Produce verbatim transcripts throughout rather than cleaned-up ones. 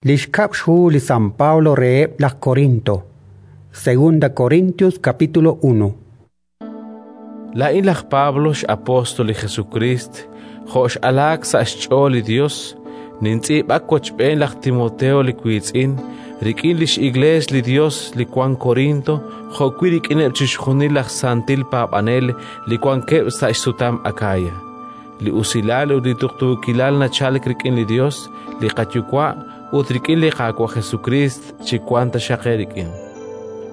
Li xkab' xhu li San Pablo reheb' laj Korinto. Segunda Corintios capítulo uno. Laa'in laj Pablo, x'apóstol li Jesukriist, jo' x'alaak sa' xch'ool li Yos, nintz'iib'ak wochb'een laj Timoteo li wiitz'in, rik'in li x'Iklees li Yos li wank Korinto jo'wi' rik'ineb' chixjunil laj santil paab'anel li wankeb' sa' xsutam Akaya. Li usilal ut li tuqtuukilal nachalk rik'in li Yos, li qaYuwa', ut rik'in li Qaawa' Jesukriist chiwanq taxaq eerik'in.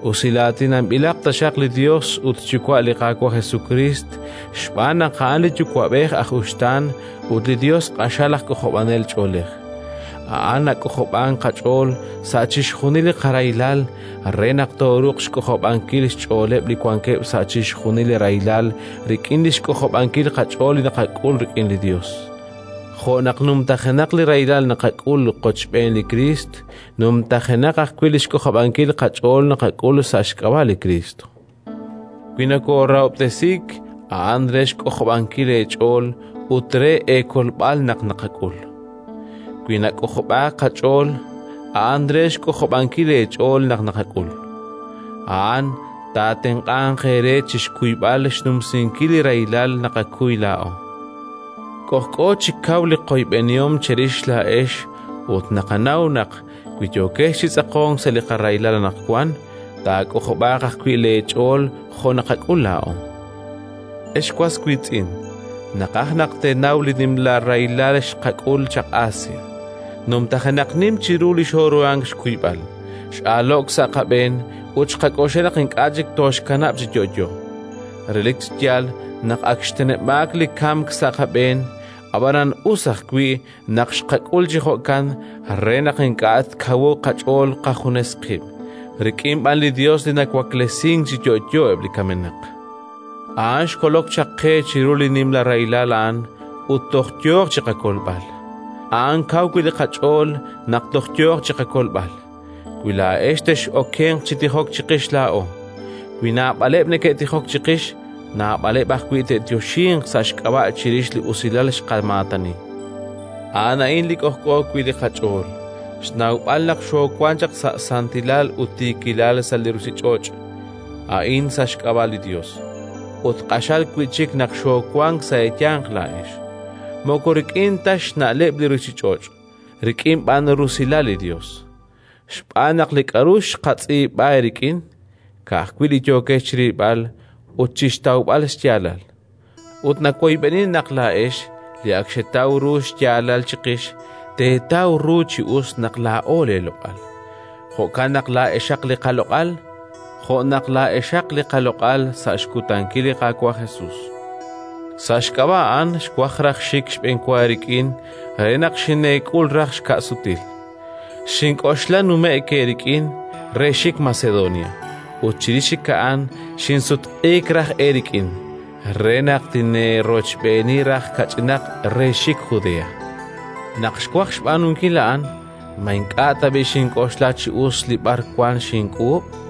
Usilaatinanb'ilaq taxaq li Yos ut xYuwa' li Qaawa' Jesukriist, xb'aan naq a'an li Yuwa'b'ej aj uxtaan ut li Yos q'axal aj k'ojob'anel ch'oolej. A'an nak'ojob'ank qach'ool sa' chixjunil li qarahilal re naq tooruuq xk'ojob'ankil xch'ooleb' li wankeb' sa' chixjunil li rahilal rik'in li xk'ojob'ankil qach'ool li naqak'ul rik'in li Yos. Jo' naq numtajenaq li rahilal naqak'ul qochb'een li Kriist, numtajenaq ajwi' li xk'ojob'ankil qach'ool naqak'ul sa' xk'ab'a' li Kriist. Wi nokoorahob'tesiik, a'an re xk'ojob'ankil eech'ool ut re eekolb'al naq naqak'ul. Wi nak'ojob'aak qach'ool, a'an re xk'ojob'ankil eech'ool naq naqak'ul. A'an taatenq'anq eere chi xkuyb'al xnumsinkil li rahilal naqakuy laa'o. K'ojk'o chi kaw li qoyb'enihom cherix laa'ex ut naqanaw naq wi yookex chi tz'aqonk sa' li qarahilal anaqwan, taak'ojob'aaq ajwi' leech'ool jo' naqak'ul laa'o. Ex was wiitz'in, naqaj naq teenaw li nimla rahilal xqak'ul chaq Asia. Numtajenaq nim chiru li xooruhank xkuyb'al, x'aalo'k sa' qab'een ut xqak'oxla naq ink'a' chik tooxkanab' chi yo'yo. Relik chi yaal naq ak xteneb'aak li kamk sa' qab'een, ab'anan us ajwi' naq xqak'ul chi jo'kan re naq ink'a' tkawuq qach'ool qajunes qib', rik'in b'an li Yos li nawaklesink chi yo'yo eb' li kamenaq. A'an xkolok chaq qe chiru li nimla rahilal a'an ut toj yooq chi qakolb'al. A'an kaw wi' li qach'ool naq toj yooq chi qakolb'al. Wi laa'ex tex'okenq chi tijok chiqix laa'o, wi naab'aleb' neke'tijok chiqix, naab'aleb' ajwi' te'yoxinq sa' xk'ab'a' chirix li usilal xqamaatani. A'an a'in li k'ojk'o wi' li qach'ool, xnawb'al naq xoowank chaq sa' santilal ut tiikilal sa' li ruuchich'och', a'in sa' xk'ab'a' li Yos. Ut q'axal wi' chik naq xoowank sa' eeyanq laa'ex. Moko rik'in ta xna'leb' li ruuchich'och', rik'in b'an rusilal li Yos. Xb'aan naq li k'aru xqatz'iib'a eerik'in, ka'ajwi' li yookex chirilb'al ut chi xtawb'al xyaalal. Ut nawoyb'eni naq laa'ex, li ak xetaw ru xyaalal chiqix, teetaw ru chi us naq laa'o leeloq'al. Jo'kan naq laa'exaq li qaloq'al, jo' naq laa'exaq li qaloq'al sa' xkutankil li Qaawa' Jesus. Sa' xk'ab'a' a'an xwaj raj xik xb'enwa eerik'in re naq xineek'ul raj xka'sutil. Xink'oxla nume'k eerik'in re xik Macedonia, ut chirix chik a'an xinsutq'iik raj eerik'in re naq tineerochb'eeni raj kach'inaq re xik Judea. Naq xwaj xb'aanunkil a'an, ma ink'a' tab'i' xink'oxla chi us li b'arwan xink'uub'?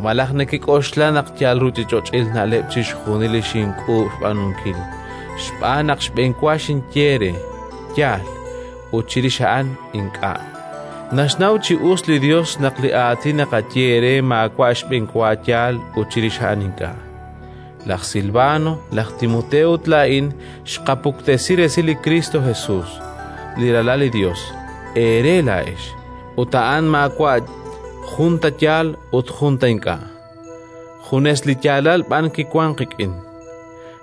Malaj nekek'oxla naq yal ruuchich'och'il na'leb' chixjunil li xink'uub' xb'aanunkil, xb'aan naq xb'enwa xinye eere: “Yaal”, ut chirix a'an ink'a'. Naxnaw chi us li Yos naq li aatin naqaye eere maawa' xb'enwa yaal ut chirix a'an ink'a'. Laj Silvano, laj Timoteo ut laa'in xqapuktesi resil li Kristo Jesus, li Ralal li Yos, eere laa'ex, ut a'an maawa' jun ta yaal ut jun ta ink'a'. Junes li yaalal b'an kiwank qik'in.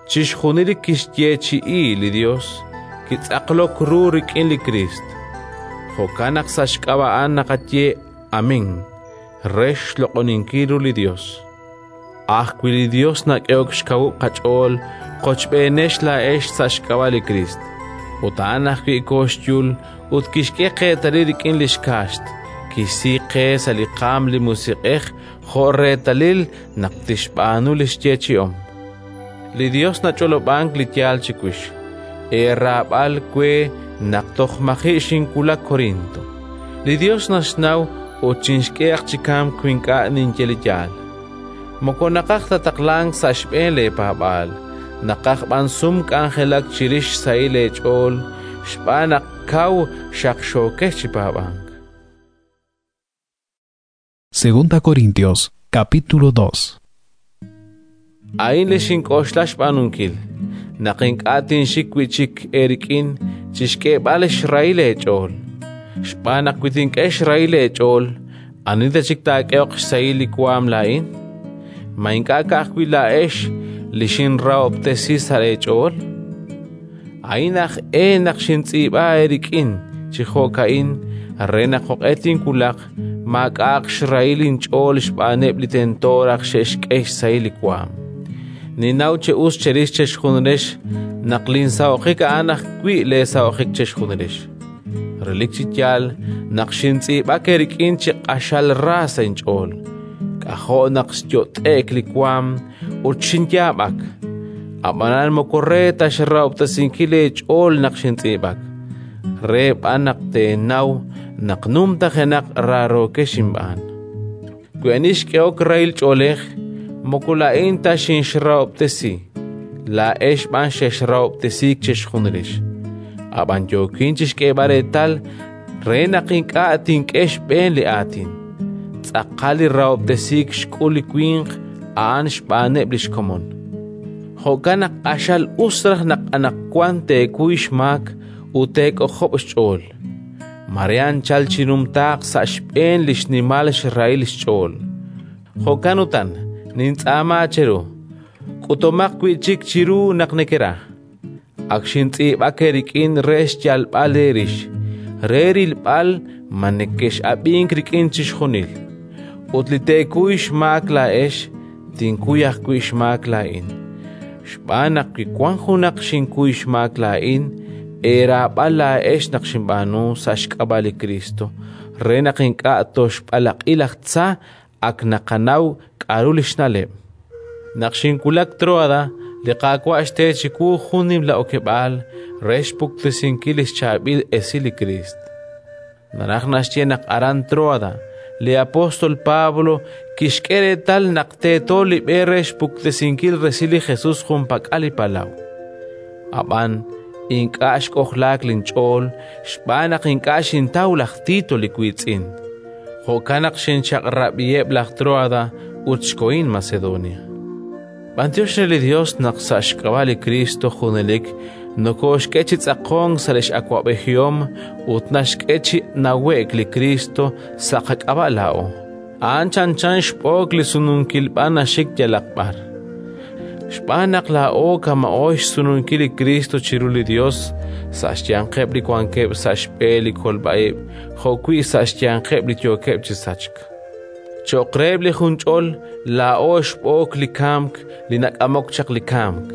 Chixjunil li kixyeechi'i li Yos kitz'aqlok ru rik'in li Kriist. Jo'kan naq sa' xk'ab'a' a'an naqaye Amén re xloq'oninkil ru li Yos. Ajwi' li Yos nak'ehok xkawub' qach'ool qochb'eenex laa'ex sa' xk'ab'a' li Kriist. Ut a'an ajwi' kooxyul ut kixk'e qeetalil rik'in li xkaaxt, kixsi qe sa' li qaanm li Musiq'ej jo' reetalil naq tixb'aanu li xyeechi'om. Li Yos nach'olob'ank li yaal chiwix, eeraab'al we naq toj maji' xinwulak Korinto. Li Yos naxnaw ut chinxk'ehaq chi kamk wi ink'a' ninye li yaal. Moko naqaj ta taqlank sa' xb'een leepaab'aal, naqaj b'an sum k'anjelak chirix xsahil eech'ool xb'aan naq kaw xaqxookex chi paab'ank. Segunda Corintios, capítulo dos. A'in li xink'oxla xb'aanunkil, naq ink'a' tinxik wi' chik eerik'in chi xk'eeb'al xrahil eech'ool. Xb'aan naq wi tink'e xrahil eech'ool, ani ta chik taak'ehoq xsahil li waanm laa'in? Ma ink'a' ka'ajwi' laa'ex li xinrahob'tesi sa' leech'ool? A'in aj e naq xintz'iib'a eerik'in chi jo'ka'in re naq jo'q'e tinwulaq maak'a'aq xrahil inch'ool xb'aaneb' li tento raj xe'xk'e xsahil li waanm. Ninnaw chi us cherix chexjunilex naq linsaho'jik a'an ajwi' leesaho'jik chexjunilex. Relik chi yaal naq xintz'iib'ak eerik'in chi q'axal ra sa' inch'ool. K'ajo' naq xyot'e'k li waanm ut xinyaab'ak. Ab'anan moko re ta xrahob'tesinkil eech'ool naq xintz'iib'ak, re b'an naq teenaw naq numtajenaq raarookex inb'aan. Wi ani xk'ehok rahil ch'oolej, moko laa'in ta xinxrahob'tesi, laa'ex b'an xexrahob'tesiik chexjunilex. Ab'an yookin chi xk'eeb'al reetal re naq ink'a' tink'e xb'een li aatin. Tz'aqal li rahob'tesiik xk'ul li winq a'an xb'aaneb' li xkomon. Jo'kan naq q'axal us raj naq anaqwan teekuy xmaak ut teek'ojob' xch'ool. Mare anchal chinumtaaq sa' xb'een li xnimal xrahil xch'ool. Jo'kan utan, nintz'aama cheru, k'utomaq wi' chik chiru naq nekera. Ak xintz'iib'ak eerik'in re xyalb'al eerix, re rilb'al ma nekex'ab'ink rik'in chixjunil. Ut li teekuy xmaak laa'ex, tinkuy ajwi' xmaak laa'in. Xb'aan naq wi wank junaq xinkuy xmaak laa'in, eeraab'al laa'ex naq xinb'aanu sa' xk'ab'a' li Kristo, re naq ink'a' toxb'alaq'i laj tza ak naqanaw k'aru li xna'leb'. Naq xinwulak Tróada, li Qaawa' xte chiwu jun nimla okeb'aal re xpuktesinkil li xchaab'il esil li Kriist. Naraj naxye naq aran Tróada, li apóstol Pablo kixk'e reetal naq teeto li b'e re xpuktesinkil resil li Jesús junpak'al li palaw. Ab'an ink'a' xk'ojlaak linch'ool xb'aan naq ink'a' xintaw laj Tito li wiitz'in. Jo'kan naq xinchaq'rab'iheb' laj Tróada ut xkohin Macedonia. B'antiox re li Dios naq sa' xk'ab'a' li Kristo junelik nokooxk'e chi tz'aqonk sa' li x'awab'ejihom ut naxk'e chi nawe'k li Kristo sa' qak'ab'a' laa'o. A'an chanchan xb'ook li sununkil b'an naxik yalaq b'ar. Xb'aan naq laa'o kama'o xsununkil li Kristo chiru li Dios sa' xyanqeb' li wankeb' sa' xb'e li kolb'a-ib' jo'wi' sa' xyanqeb' li yookeb' chi sachk. Cho'q reheb' li junch'ol laa'o xb'ook li kamk li nak'amok chaq li kamk,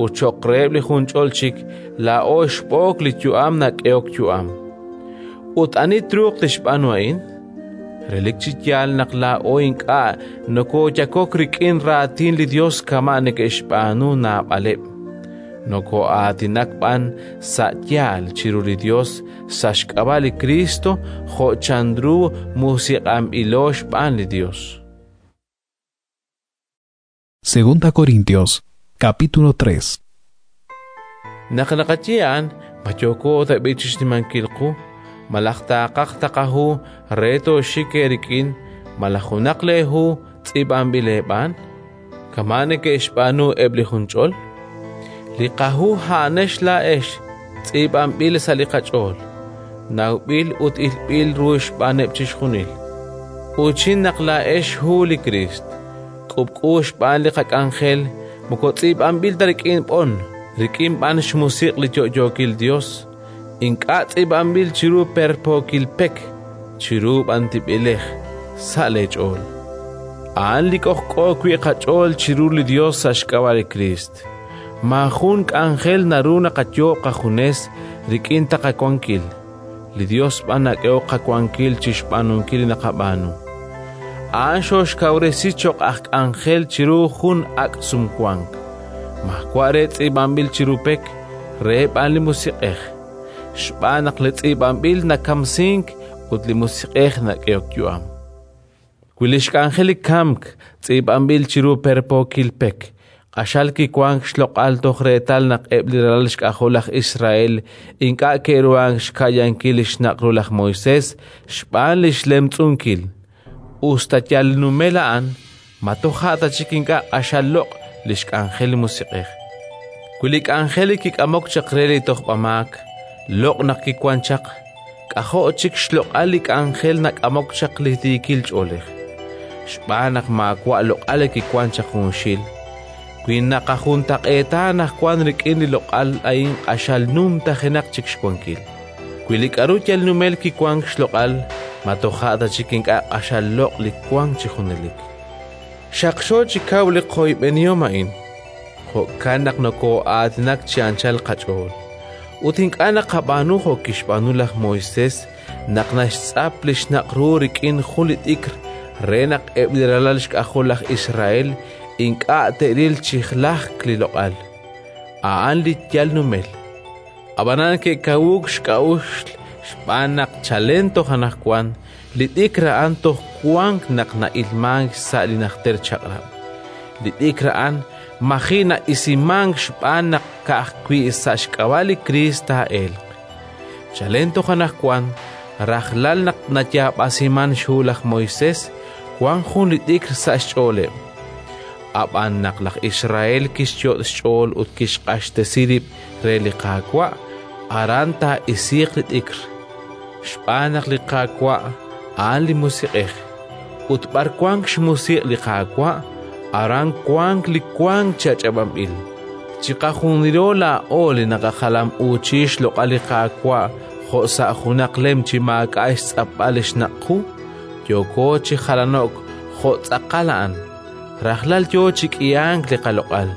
ut cho'q reheb' li junch'ol chik laa'o xb'ook li yu'am nak'ehok yu'am. Ut ani truuq tixb'aanu a'in? Relik chi yaal naq laa'o ink'a' nokooyakok rik'in raatin li Dios kama' neke'xb'aanu naab'aleb'. Nokoo'aatinak b'an sa' yaal chiru li Dios sa' xk'ab'a' li Kristo jo' chanru musiq'anb'ilo xb'aan li Dios. Segunda Corintios, capítulo tres. Naq naqaye a'an, ma yooko tab'i chi xnimankil qu, malaj taaqaj taqahu re tooxik eerik'in, malaj junaq leehu tz'iib'anb'il eeb'aan? Kama' neke'xb'aanu eb' li junch'ol? Li qahu a'anex laa'ex tz'iib'anb'il sa' li qach'ool, nawb'il ut ilb'il ru xb'aaneb' chixjunil. Uuchin naq laa'ex hu li Kriist, k'ub'k'u xb'aan li qak'anjel, moko tz'iib'anb'il ta rik'in b'on, rik'in b'an xmusiq' li yo'yookil Dios, ink'a' tz'iib'anb'il chiru perpookil pek, chiru b'an tib'elej, sa' leech'ool. A'an li k'ojk'o wi' qach'ool chiru li Dios sa' xk'ab'a' li Kriist. Maajun k'anjel naru naqayoob' qajunes rik'in ta qawankil. Li Dios b'an nak'ehok qawankil chi xb'aanunkil li naqab'aanu. A'an xooxkawresi cho'q aj k'anjel chiru jun ak' sumwank. Maawa' re tz'iib'anb'il chiru pek, re b'an li Musiq'ej. Xb'aan naq li tz'iib'anb'il nakamsink ut li Musiq'ej nak'ehok yu'am. Wi li xk'anjel li kamk tz'iib'anb'il chiru perpookil pek, q'axal kiwank xloq'al toj reetal naq eb' li ralal xk'ajol laj Israel ink'a' ke'ruhank xka'yankil li xnaq' ru laj Moisés xb'aan li xlemtz'unkil. Us ta yal numel a'an, ma toja' ta chik ink'a' q'axal loq' li xk'anjel li Musiq'ej? Wi li k'anjel li kik'amok chaq re li tojb'amaak loq' naq kiwank chaq, k'ajo' chik xloq'al li k'anjel nak'amok chaq li tiikil ch'oolej! Xb'aan naq maawa' loq'al li kiwank chaq junxil, wi naqajuntaq'eeta anaqwan rik'in li loq'al a'in q'axal numtajenaq chik xwankil. Wi li k'aru yal numel kiwank xloq'al, ma toja' ta chik ink'a' q'axal loq' li wank chi junelik? Xaqxo chi kaw li qoyb'enihom a'in, jo'kan naq nokoo'aatinak chi anchal qach'ool. Ut ink'a' naqab'aanu jo' kixb'aanu laj Moisés naq naxtz'ap li xnaq' ru rik'in jun li t'ikr re naq eb' li ralal xk'ajol laj Israel ink'a' te'ril chi lajk li loq'al. A'an li yal numel. Ab'anan ke'kawuuk xk'a'uxl xb'aan naq chalen toj anaqwan li t'ikr a'an toj wank naq na'ilmank sa' li Najter Chaq'rab'. Li t'ikr a'an maji' na'isimank xb'aan naq ka'ajwi' sa' xk'ab'a' li Kriist taa'elq. Chalen toj anaqwan, rajlal naq nayaab'asimank xhu laj Moisés, wank jun li t'ikr sa' xch'ooleb'. Ab'an naq laj Israel kixyot' xch'ool ut kixq'axtesi rib' re li Qaawa', aran taa'isiiq li t'ikr. Xb'aan naq li Qaawa' a'an li Musiq'ej, ut b'ar wank xmusiq' li Qaawa', aran wank li wank chi ach'ab'anb'il. Chiqajunilo laa'o li naqajalam'uuchi xloq'al li Qaawa' jo' sa' junaq lem chi maak'a' xtz'apb'al li xnaq' qu, yooko chi jalano'k jo' tz'aqal a'an. Rajlal yo chi k'ihank li qaloq'al,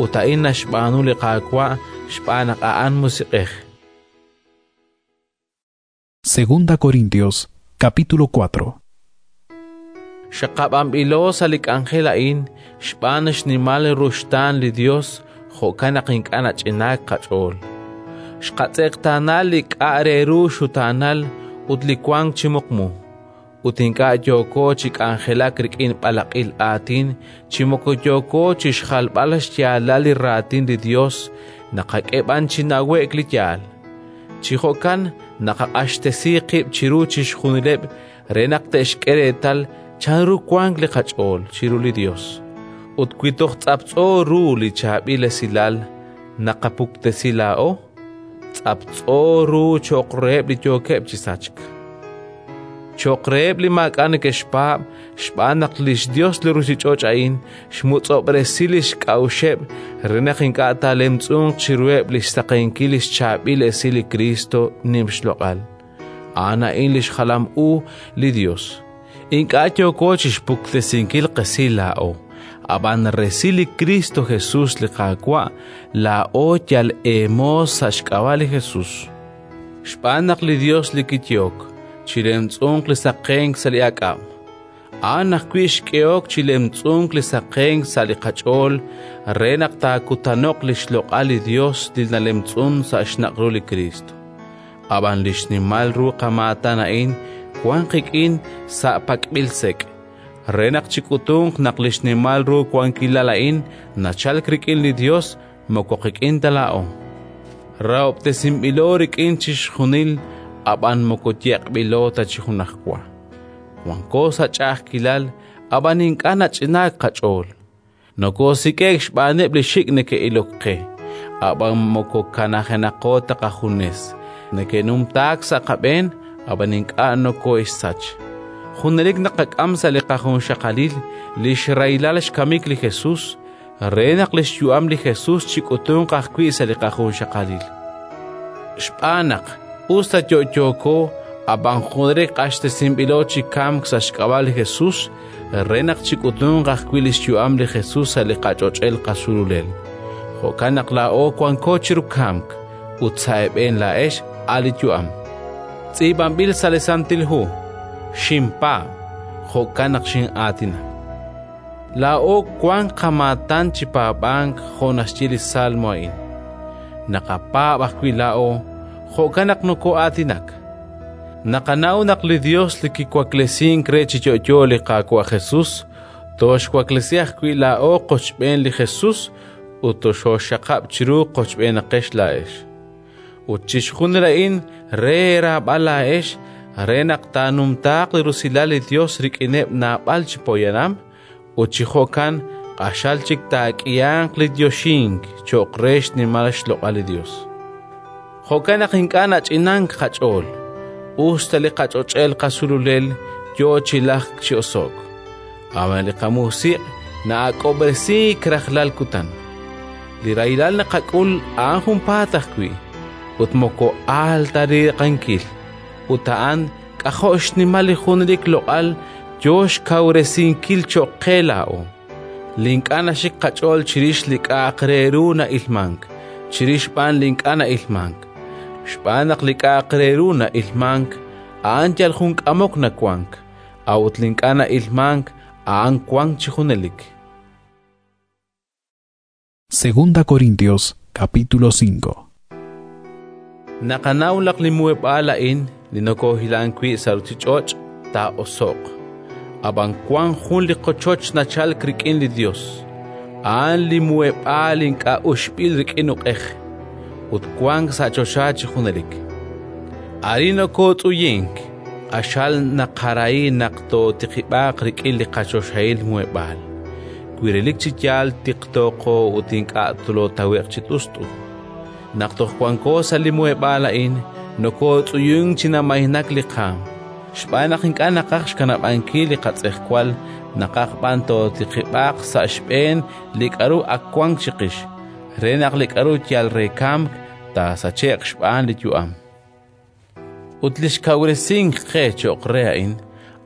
ut a'in naxb'aanu li Qaawa' xb'aan naq a'an Musiq'ej. Segunda Corintios, capítulo cuatro. Xaqab'anb'ilo sa' li k'anjel a'in xb'aan xnimal ruxtaan li Yos, jo'kan naq ink'a' nach'inaak qach'ool. Xqatz'eqtaana li k'a' re ru xutaanal ut li wank chi muqmu, ut ink'a' yooko chi k'anjelak rik'in b'alaq'il aatin chi moko yooko chi xjalb'al xyaalal li Raatin li Yos, naqak'e b'an chi nawe'k li yaal. Chi jo'kan naqaq'axtesi qib' chiru chixjunileb' re naq te'xk'e reetal chanru wank li qach'ool chiru li Yos. Ut wi toj tz'aptz'o ru li chaab'il esilal naqapuktesi laa'o, tz'aptz'o ru cho'q reheb' li yookeb' chi sachk. Cho'q reheb' li maak'a' neke'xpaab', xb'aan naq li xYos li ruuchich'och' a'in xmutz'ob'resi li xk'a'uxeb' re naq ink'a' taalemtz'unq chiruheb' li xsaqenkil li xchaab'il esil li Kristo nim xloq'al. A'an a'in li xjalam u li Yos. Ink'a' yooko chi xpuktesinkil qesil laa'o, ab'an resil li Kristo Jesús li Qaawa', laa'o yal eemoos sa' xk'ab'a' li Jesús. Xb'aan naq li Yos li kiyehok chilemtz'unq li saqenk sa' li aak'ab', a'an ajwi' xk'ehok chilemtz'unk li saqenk sa' li qach'ool re naq taakutano'q li xloq'al li Yos li nalemtz'un sa' xnaq' ru li Kristo. Ab'an li xnimal ru qamaatan a'in wank qik'in sa' pak'b'il sek', re naq chik'utunq naq li xnimal ru wankilal a'in nachalk rik'in li Yos moko qik'in ta laa'o. Rahob'tesinb'ilo rik'in chixjunil, ab'an moko yeq'b'ilo ta chi junajwa. Wanko sa' ch'a'ajkilal, ab'an ink'a' nach'inaak qach'ool. Nokoosik'e'k xb'aaneb' li xik' neke'ilok qe, ab'an moko kanajenaqo ta qajunes. Neke'numtaak sa' qab'een, ab'an ink'a' nokoo'exsach. Junelik naqak'am sa' li qajunxaqalil li xrahilal xkamik li Jesús, re naq li xyu'am li Jesús chik'utunq ajwi' sa' li qajunxaqalil. Xb'aan naq us ta yo'yooko, ab'an junelik q'axtesinb'ilo chi kamk sa' xk'ab'a' li Jesús, re naq chik'utunq ajwi' li xyu'am li Jesús sa' li qach'och'el qasululel. Jo'kan naq laa'o wanko chiru kamk, ut sa' eeb'een laa'ex a' li yu'am. Tz'iib'anb'il sa' li Santil Hu: xinpaab', jo'kan naq xin'aatinak. Laa'o wank qamaatan chi paab'ank jo' naxye li Salmo a'in. Naqapaab' ajwi' laa'o, jo'kan naq nokoo'aatinak. Naqanaw naq li Yos li kiwaklesink re chi yo'yo li Qaawa' Jesús, tooxwaklesi ajwi' laa'o qochb'een li Jesús ut toxooxaqab' chiru qochb'eenaqex laa'ex. Ut chixjunil a'in re eeraab'al laa'ex, re naq taanumtaaq li rusilal li Yos rik'ineb' naab'al chi poyanam, ut chi jo'kan q'axal chik taak'ihanq li yoxink cho'q re xnimal xloq'al li Yos. Jo'kan naq ink'a' nach'inank qach'ool, us ta li qach'och'el qasululel yo chi lajk chi oso'k, ab'an li qamusiq' na'ak'ob'resiik rajlal kutan. Li rahilal naqak'ul a'an junpaat ajwi', ut moko aal ta riiqankil, ut a'an k'ajo' xnimal li junelik loq'al yo xkawresinkil cho'q qe laa'o. Li ink'a' naxik qach'ool chirix li k'a'aq re ru na'ilmank, chirix b'an li ink'a' na'ilmank. Xb'aan naq li k'a'aq re ru na'ilmank, a'an yal jun k'amok nawank, a'ut li ink'a' na'ilmank, a'an wank chi junelik. Segunda Corintios capítulo cinco. Naqanaw naq li muheb'aal a'in li nokoohilank wi' sa' ruuchich'och' taa'oso'q, ab'an wank jun li qochoch nachalk rik'in li Yos, a'an li muheb'aal ink'a' uxb'il rik'in uq'ej, ut wank sa' choxa chi junelik. Arin nokootz'uyink, q'axal naqarahi naq tootiqib'aaq rik'in li qachoxahil muheb'aal, wi relik chi yaal tiqtooqo ut ink'a' tolootawe'q chi t'ust'u. Naq toj wanko sa' li muheb'aal a'in, nokootz'uyunk chi namaynak li qaanm, xb'aan naq ink'a' naqaj xkanab'ankil li qatz'ejwal, naqaj b'an tootiqib'aaq sa' xb'een li k'aru ak wank chiqix, re naq li k'aru yal re kamk taasache'q xb'aan li yu'am. Ut li xkawresink qe cho'q re a'in,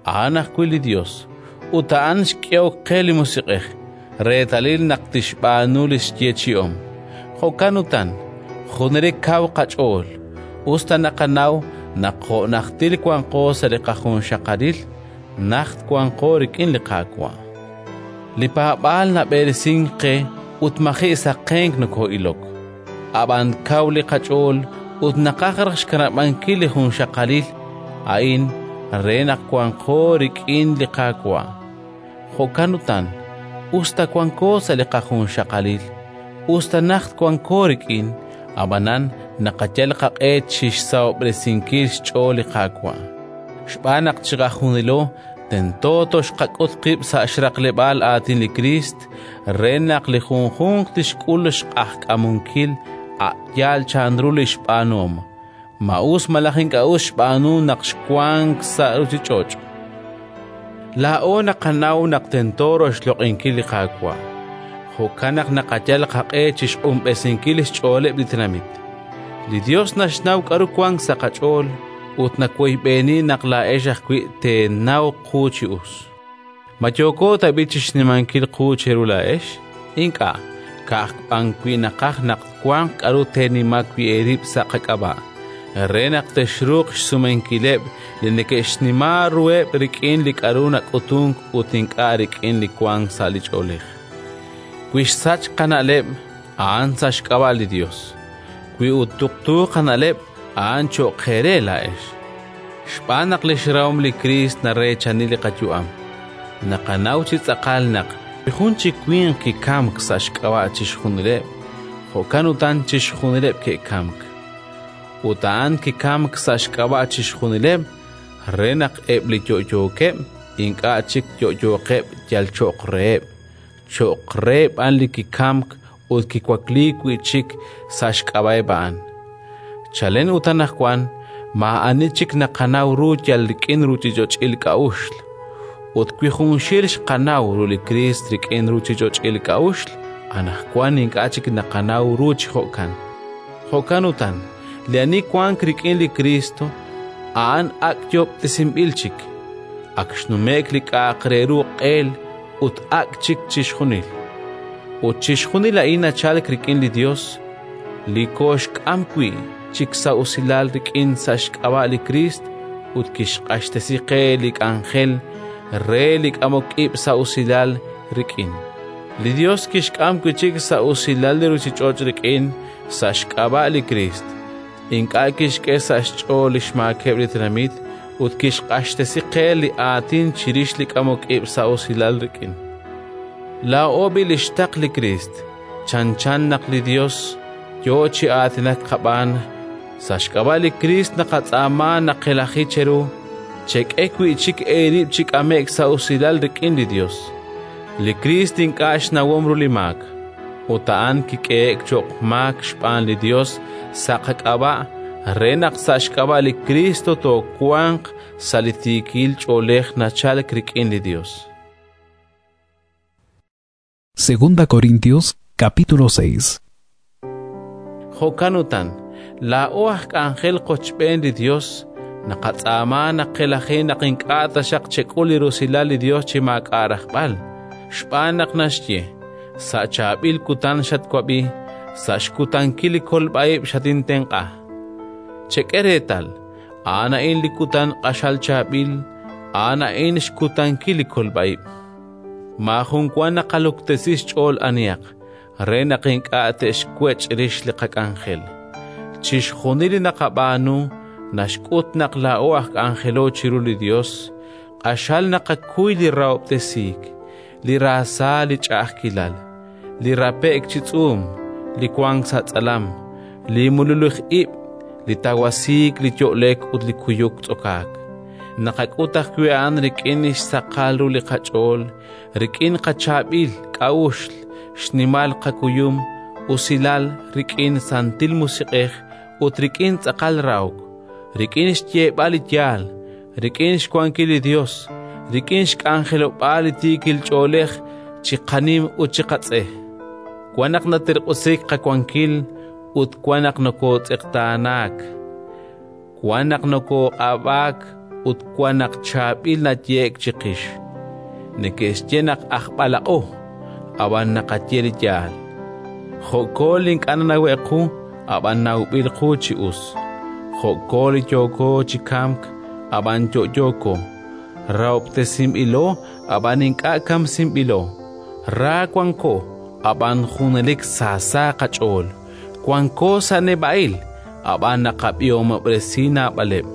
a'an ajwi' li Yos, ut a'an xk'ehok qe li Musiq'ej, reetalil naq tixb'aanu li xyeechi'om. Jo'kan utan, junelik kaw qach'ool, us ta naqanaw naq jo' najtil wanqo sa' li qajunxaqalil, najt wanqo rik'in li Qaawa'. Li paab'aal nab'eresink qe ut maji' saqenk nokoo'ilok, ab'an kaw li qach'ool ut naqaj raj xkanab'ankil li junxaqalil a'in re naq wanqo rik'in li Qaawa'. Jo'kan utan, us ta wanko sa' li qajunxaqalil, us ta najt wanko rik'in, ab'anan naqayal qaq'e chi xsahob'resinkil xch'ool li Qaawa'. Xb'aan naq chiqajunilo tento toxqak'ut qib' sa' xraqleb'aal aatin li Kriist re naq li junjunq tixk'ul xq'ajk'amunkil a' yaal chanru li xb'aanuhom, ma us malaj ink'a' us xb'aanu naq xwank sa' ruuchich'och'. Laa'o naqanaw naq tento roxloq'inkil li Qaawa', jo'kan naq naqayal qaq'e chi xq'unb'esinkil xch'ooleb' li tenamit. Li Yos naxnaw k'aru wank sa' qach'ool ut nawoyb'eni naq laa'ex ajwi' teenaw qu chi us. Ma yooko tab'i' chi xnimankil qu cheru laa'ex? Ink'a', ka'aj b'an wi' naqaj naq wanq k'aru teenima wi' eerib' sa' qak'ab'a', re naq texruuq xsumenkileb' li neke'xnima ruheb' rik'in li k'aru nak'utunk ut ink'a' rik'in li wank sa' li ch'oolej. Wi xsachk qana'leb', a'an sa' xk'ab'a' li Yos; wi ut tuqtu qana'leb', a'an cho'q eere laa'ex. Xb'aan naq li xrahom li Kriist nareechani li qayu'am. Naqanaw chi tz'aqal naq wi jun chi winq kikamk sa' xk'ab'a' chixjunileb', jo'kan utan chixjunileb' ke'kamk. Ut a'an kikamk sa' xk'ab'a' chixjunileb' re naq eb' li yo'yookeb' ink'a' chik yo'yooqeb' yal cho'q reheb', cho'q re b'an li kikamk ut kiwakliik wi' chik sa' xk'ab'a'eb' a'an. Chalen ut anaqwan maa'ani chik naqanaw ru yal rik'in ruuchich'och'il k'a'uxl. Ut wi junxil xqanaw ru li Kriist rik'in ruuchich'och'il k'a'uxl, anaqwan ink'a' chik naqanaw ru chi jo'kan. Jo'kan utan, li ani wank rik'in li Kristo, a'an ak' yoob'tesinb'il chik, ak xnume'k li k'a'aq re ru q'eel ut ak' chik chixjunil. Ut chixjunil a'in nachalk rik'in li Yos, li kooxk'am wi' chik sa' usilal rik'in sa' xk'ab'a' li Kriist ut kixq'axtesi qe li k'anjel re li k'amok ib' sa' usilal rik'in. Li Yos kixk'am wi' chik sa' usilal li ruuchich'och' rik'in sa' xk'ab'a' li Kriist. Ink'a' kixk'e sa' xch'ool li xmaakeb' li tenamit ut kixq'axtesi qe li aatin chirix li k'amok ib' sa' usilal rik'in. Laa'o b'i' li xtaql li Kriist, chanchan naq li Yos yo chi aatinak qab'aan. Sa' xk'ab'a' li Kriist naqatz'aama naqelaji cheru Chek'e wi' chik eerib' chi k'ame'k sa' usilal rik'in li Yos. Li Kriist ink'a' xnawom ru li maak, ut a'an kik'ehe'k cho'q maak xb'aan li Yos sa' qak'ab'a' re naq sa' xk'ab'a' li Kriist toowanq sa' li tiikil ch'oolej nachalk rik'in li Yos. Segunda Corintios capítulo seis. Jo'kan utan, laa'o aj k'anjel qochb'een li Yos, naqatz'aama naq qelaji naq ink'a' taxaq chek'ul li rusilal li Yos chi maak'a' rajb'al, xb'aan naq naxye: sa' chaab'il kutan xatwab'i, sa' xkutankil li kolb'a'ib' xatintenq'a. Chek'e reetal, a'an a'in li kutan q'axal chaab'il, a'an a'in xkutankil li kolb'a'ib'. Maajun wa naqaluktesi xch'ool anihaq, re naq ink'a' te'xwech' rix li qak'anjel. Chixjunil li naqab'aanu naxk'ut naq laa'o aj k'anjelo chiru li Yos, q'axal naqakuy li rahob'tesiik, li raasa li ch'a'ajkilal, li rape'k chi tz'uum, li wank sa' tz'alam, li mululij ib', li tawasiik, li yo'lek ut li kuyuk tz'okaak. Naqak'ut ajwi' a'an rik'in xsaqal ru li qach'ool, rik'in qachaab'il k'a'uxl, xnimal qakuyum, usilal, rik'in santil musiq'ej ut rik'in tz'aqal rahok, rik'in xyeeb'al li yaal, rik'in xwankil li Yos, rik'in xk'anjelob'aal li tiikil ch'oolej chi qanim ut chi qatz'e. Wan naq naterq'usiik qawankil ut wan naq nokootz'eqtaanaak, wan naq nokooq'ab'aak ut wan naq chaab'il naye'k chiqix. Neke'xye naq aj b'alaq'o, ab'an naqaye li yaal. Jo'ko li ink'a' nanawe'k qu, ab'an nawb'il qu chi us. Jo'ko li yooko chi kamk, ab'an yo'yooko. Rahob'tesinb'ilo, ab'an ink'a' kamsinb'ilo. Ra wanko, ab'an junelik saasa qach'ool. Wanko sa' neb'a'il, ab'an naqab'ihomob'resi naab'aleb'.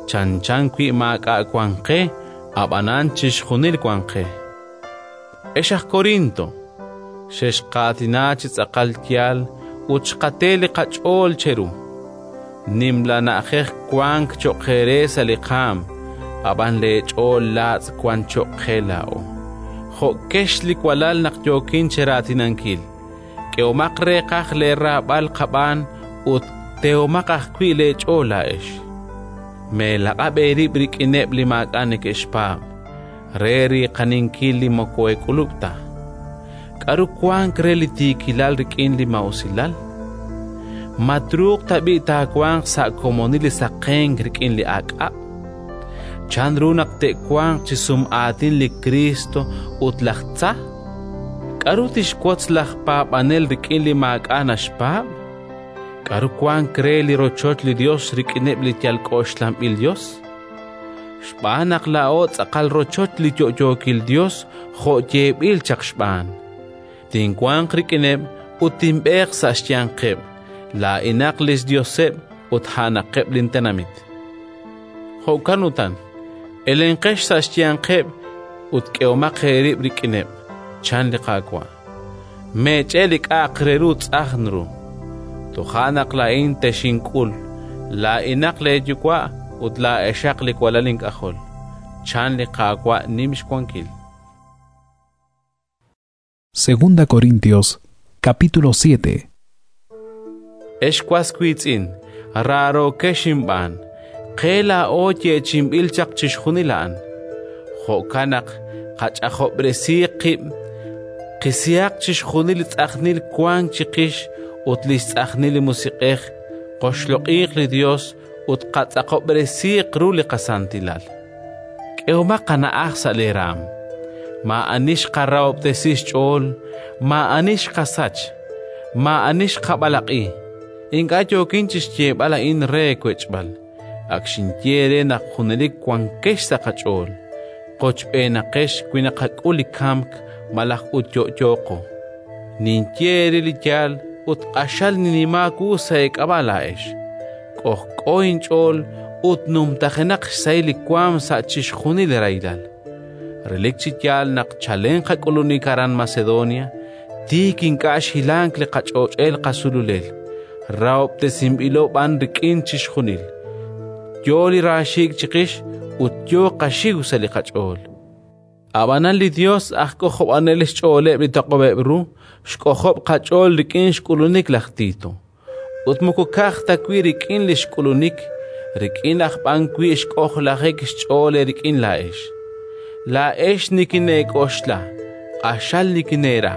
Chanchan wi' maak'a' wank qe, ab'anan chixjunil wank qe. Ex aj Corinto, xexqaatina chi tz'aqal yaal ut xqate li qach'ool cheru. Nimla na'ajej wank cho'q eere sa' li qaam, ab'an leech'ool laatz' wank cho'q qe laa'o. Jo'kex li walal naq yookin cheraatinankil. K'ehomaq reeqaj leeraab'al qab'aan ut tehomaq ajwi' leech'ool laa'ex. Meelaq'ab' eerib' rik'ineb' li maak'a' neke'xpaab', re riiqaninkil li moko eek'ulub' ta. K'aru wank re li tiikilal rik'in li maa'usilal? Ma truuq tab'i' taawanq sa' komonil li saqenk rik'in li aak'ab'? Chanru naq te'wanq chi sum'aatin li Kristo ut laj Tza? K'aru tixwotz laj paab'anel rik'in li maak'a' naxpaab'? K'aru wank re li rochoch li Yos rik'ineb' li yal k'oxlanb'il Yos? Xb'aan naq laa'o tz'aqal rochoch li yo'yookil Yos jo' yeeb'il chaq xb'aan. Tinwanq rik'ineb' ut tinb'eeq sa' xyanqeb', laa'inaq li xYoseb' ut a'anaqeb' lintenamit. Jo'kan utan, elenqex sa' xyanqeb' ut k'ehomaq eerib' rik'ineb', chan li Qaawa'. Meech'e li k'a'aq re ru tz'ajn ru. Toja' naq laa'in texink'ul, laa'inaq leeyuwa' ut laa'exaq li walal ink'ajol, chan li Qaawa' nim xwankil. Segunda Corintios, capítulo siete. Ex was wiitz'in, raarookex inb'aan, qe laa'o yeechi'inb'il chaq chixjunil a'an. Jo'kan naq qach'ajob'resiiq qib', qisihaq chixjunil li tz'ajnil wank chiqix ut li xtz'ajnil li musiq'ej, qoxloq'iiq li Yos ut qatz'aqob'resiiq ru li qasantilal. K'ehomaq qana'aj sa' leeraam. Maa'ani xqarahob'tesi xch'ool, maa'ani xqasach, maa'ani xqab'alaq'i. Ink'a' yookin chi xyeeb'al a'in re wech'b'al. Ak xinye eere naq junelik wankex sa' qach'ool. Qochb'eenaqex wi naqak'ul li kamk malaj ut yo'yooqo. Ninye eere li yaal ut q'axal ninimaak wu sa' eek'ab'a' laa'ex. K'ojk'o inch'ool ut numtajenaq xsahil li waanm sa' chixjunil li rahilal. Relik chi yaal naq chalen qak'ulunik aran Macedonia, tiik ink'a' xhilank li qach'och'el qasululel, rahob'tesinb'ilo b'an rik'in chixjunil. Yo li raaxiik' chiqix ut yo qaxiw sa' li qach'ool. Ab'anan li Yos aj k'ojob'anel xch'ooleb' li toq'ob'eb' ru, xk'ojob' qach'ool rik'in xk'ulunik laj Tito. Ut moko ka'aj ta wi' rik'in li xk'ulunik, rik'in aj b'an wi' xk'ojlajik xch'ool eerik'in laa'ex. Laa'ex nikineek'oxla, q'axal nikineera,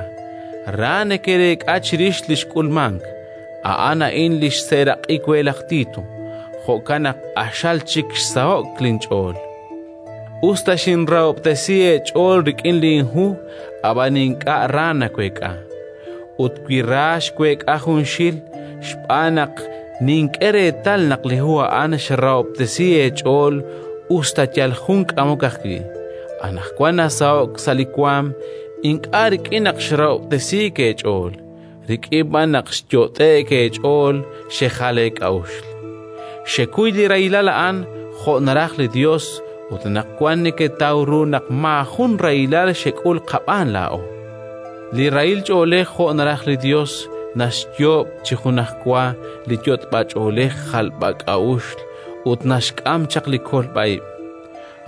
ra nekereek'a chirix li xk'ulmank. A'an a'in li xseeraq'i we laj Tito, jo'kan naq q'axal chik xsaho'k linch'ool. Us ta xinrahob'tesi eech'ool rik'in linhu, ab'an ink'a' ra naweek'a. Ut wi ra xweek'a junxil, xb'aan naq nink'e reetal naq li hu a'an xrahob'tesi eech'ool us ta yal jun k'amok ajwi'. Anaqwan nasaho'k sa' li waanm ink'a' rik'in naq xrahob'tesiik eech'ool, rik'in b'an naq xyot'e'k eech'ool xejal eek'a'uxl. Xekuy li rahilal a'an jo' naraj li Yos ut anaqwan neketaw ru naq maajun rahilal xek'ul qab'aan laa'o. Li rahil ch'oolej jo' naraj li Yos naxyoob' chi junajwa li yot'b'ach'oolej jalb'ak'a'uxl ut naxk'am chaq li kolb'a-ib'.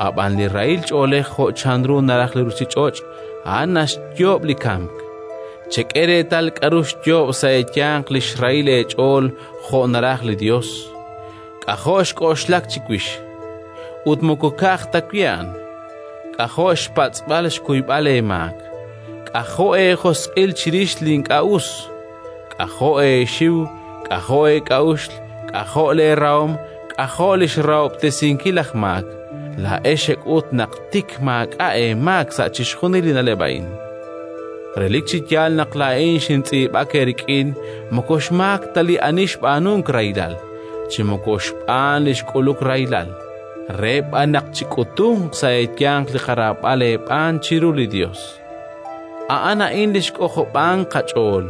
Ab'an li rahil ch'oolej jo' chanru naraj li ruuchich'och', a'an naxyoob' li kamk. Chek'e reetal k'aru xyoob' sa' eeyanq li xrahil eech'ool jo' naraj li Yos. K'ajo' xk'oxlak chiwix, ut moko ka'aj ta wi' a'an. K'ajo' xpatz'b'al xkuyb'al eemaak. K'ajo' eejosq'il chirix li ink'a' us. K'ajo' eexiw, k'ajo' eek'a'uxl, k'ajo' leerahom, k'ajo' li xrahob'tesinkil laj maak. Laa'ex xek'ut naq tik maak'a' eemaak sa' chixjunil li na'leb' a'in. Relik chi yaal naq laa'in xintz'iib'ak eerik'in moko xmaak ta li ani xb'aanunk rahilal, chi moko xb'aan li xk'uluk rahilal, re b'an naq chik'utunq sa' eeyanq li qaraab'al eeb'aan chiru li Yos. A'an a'in li xk'ojob'ank qach'ool,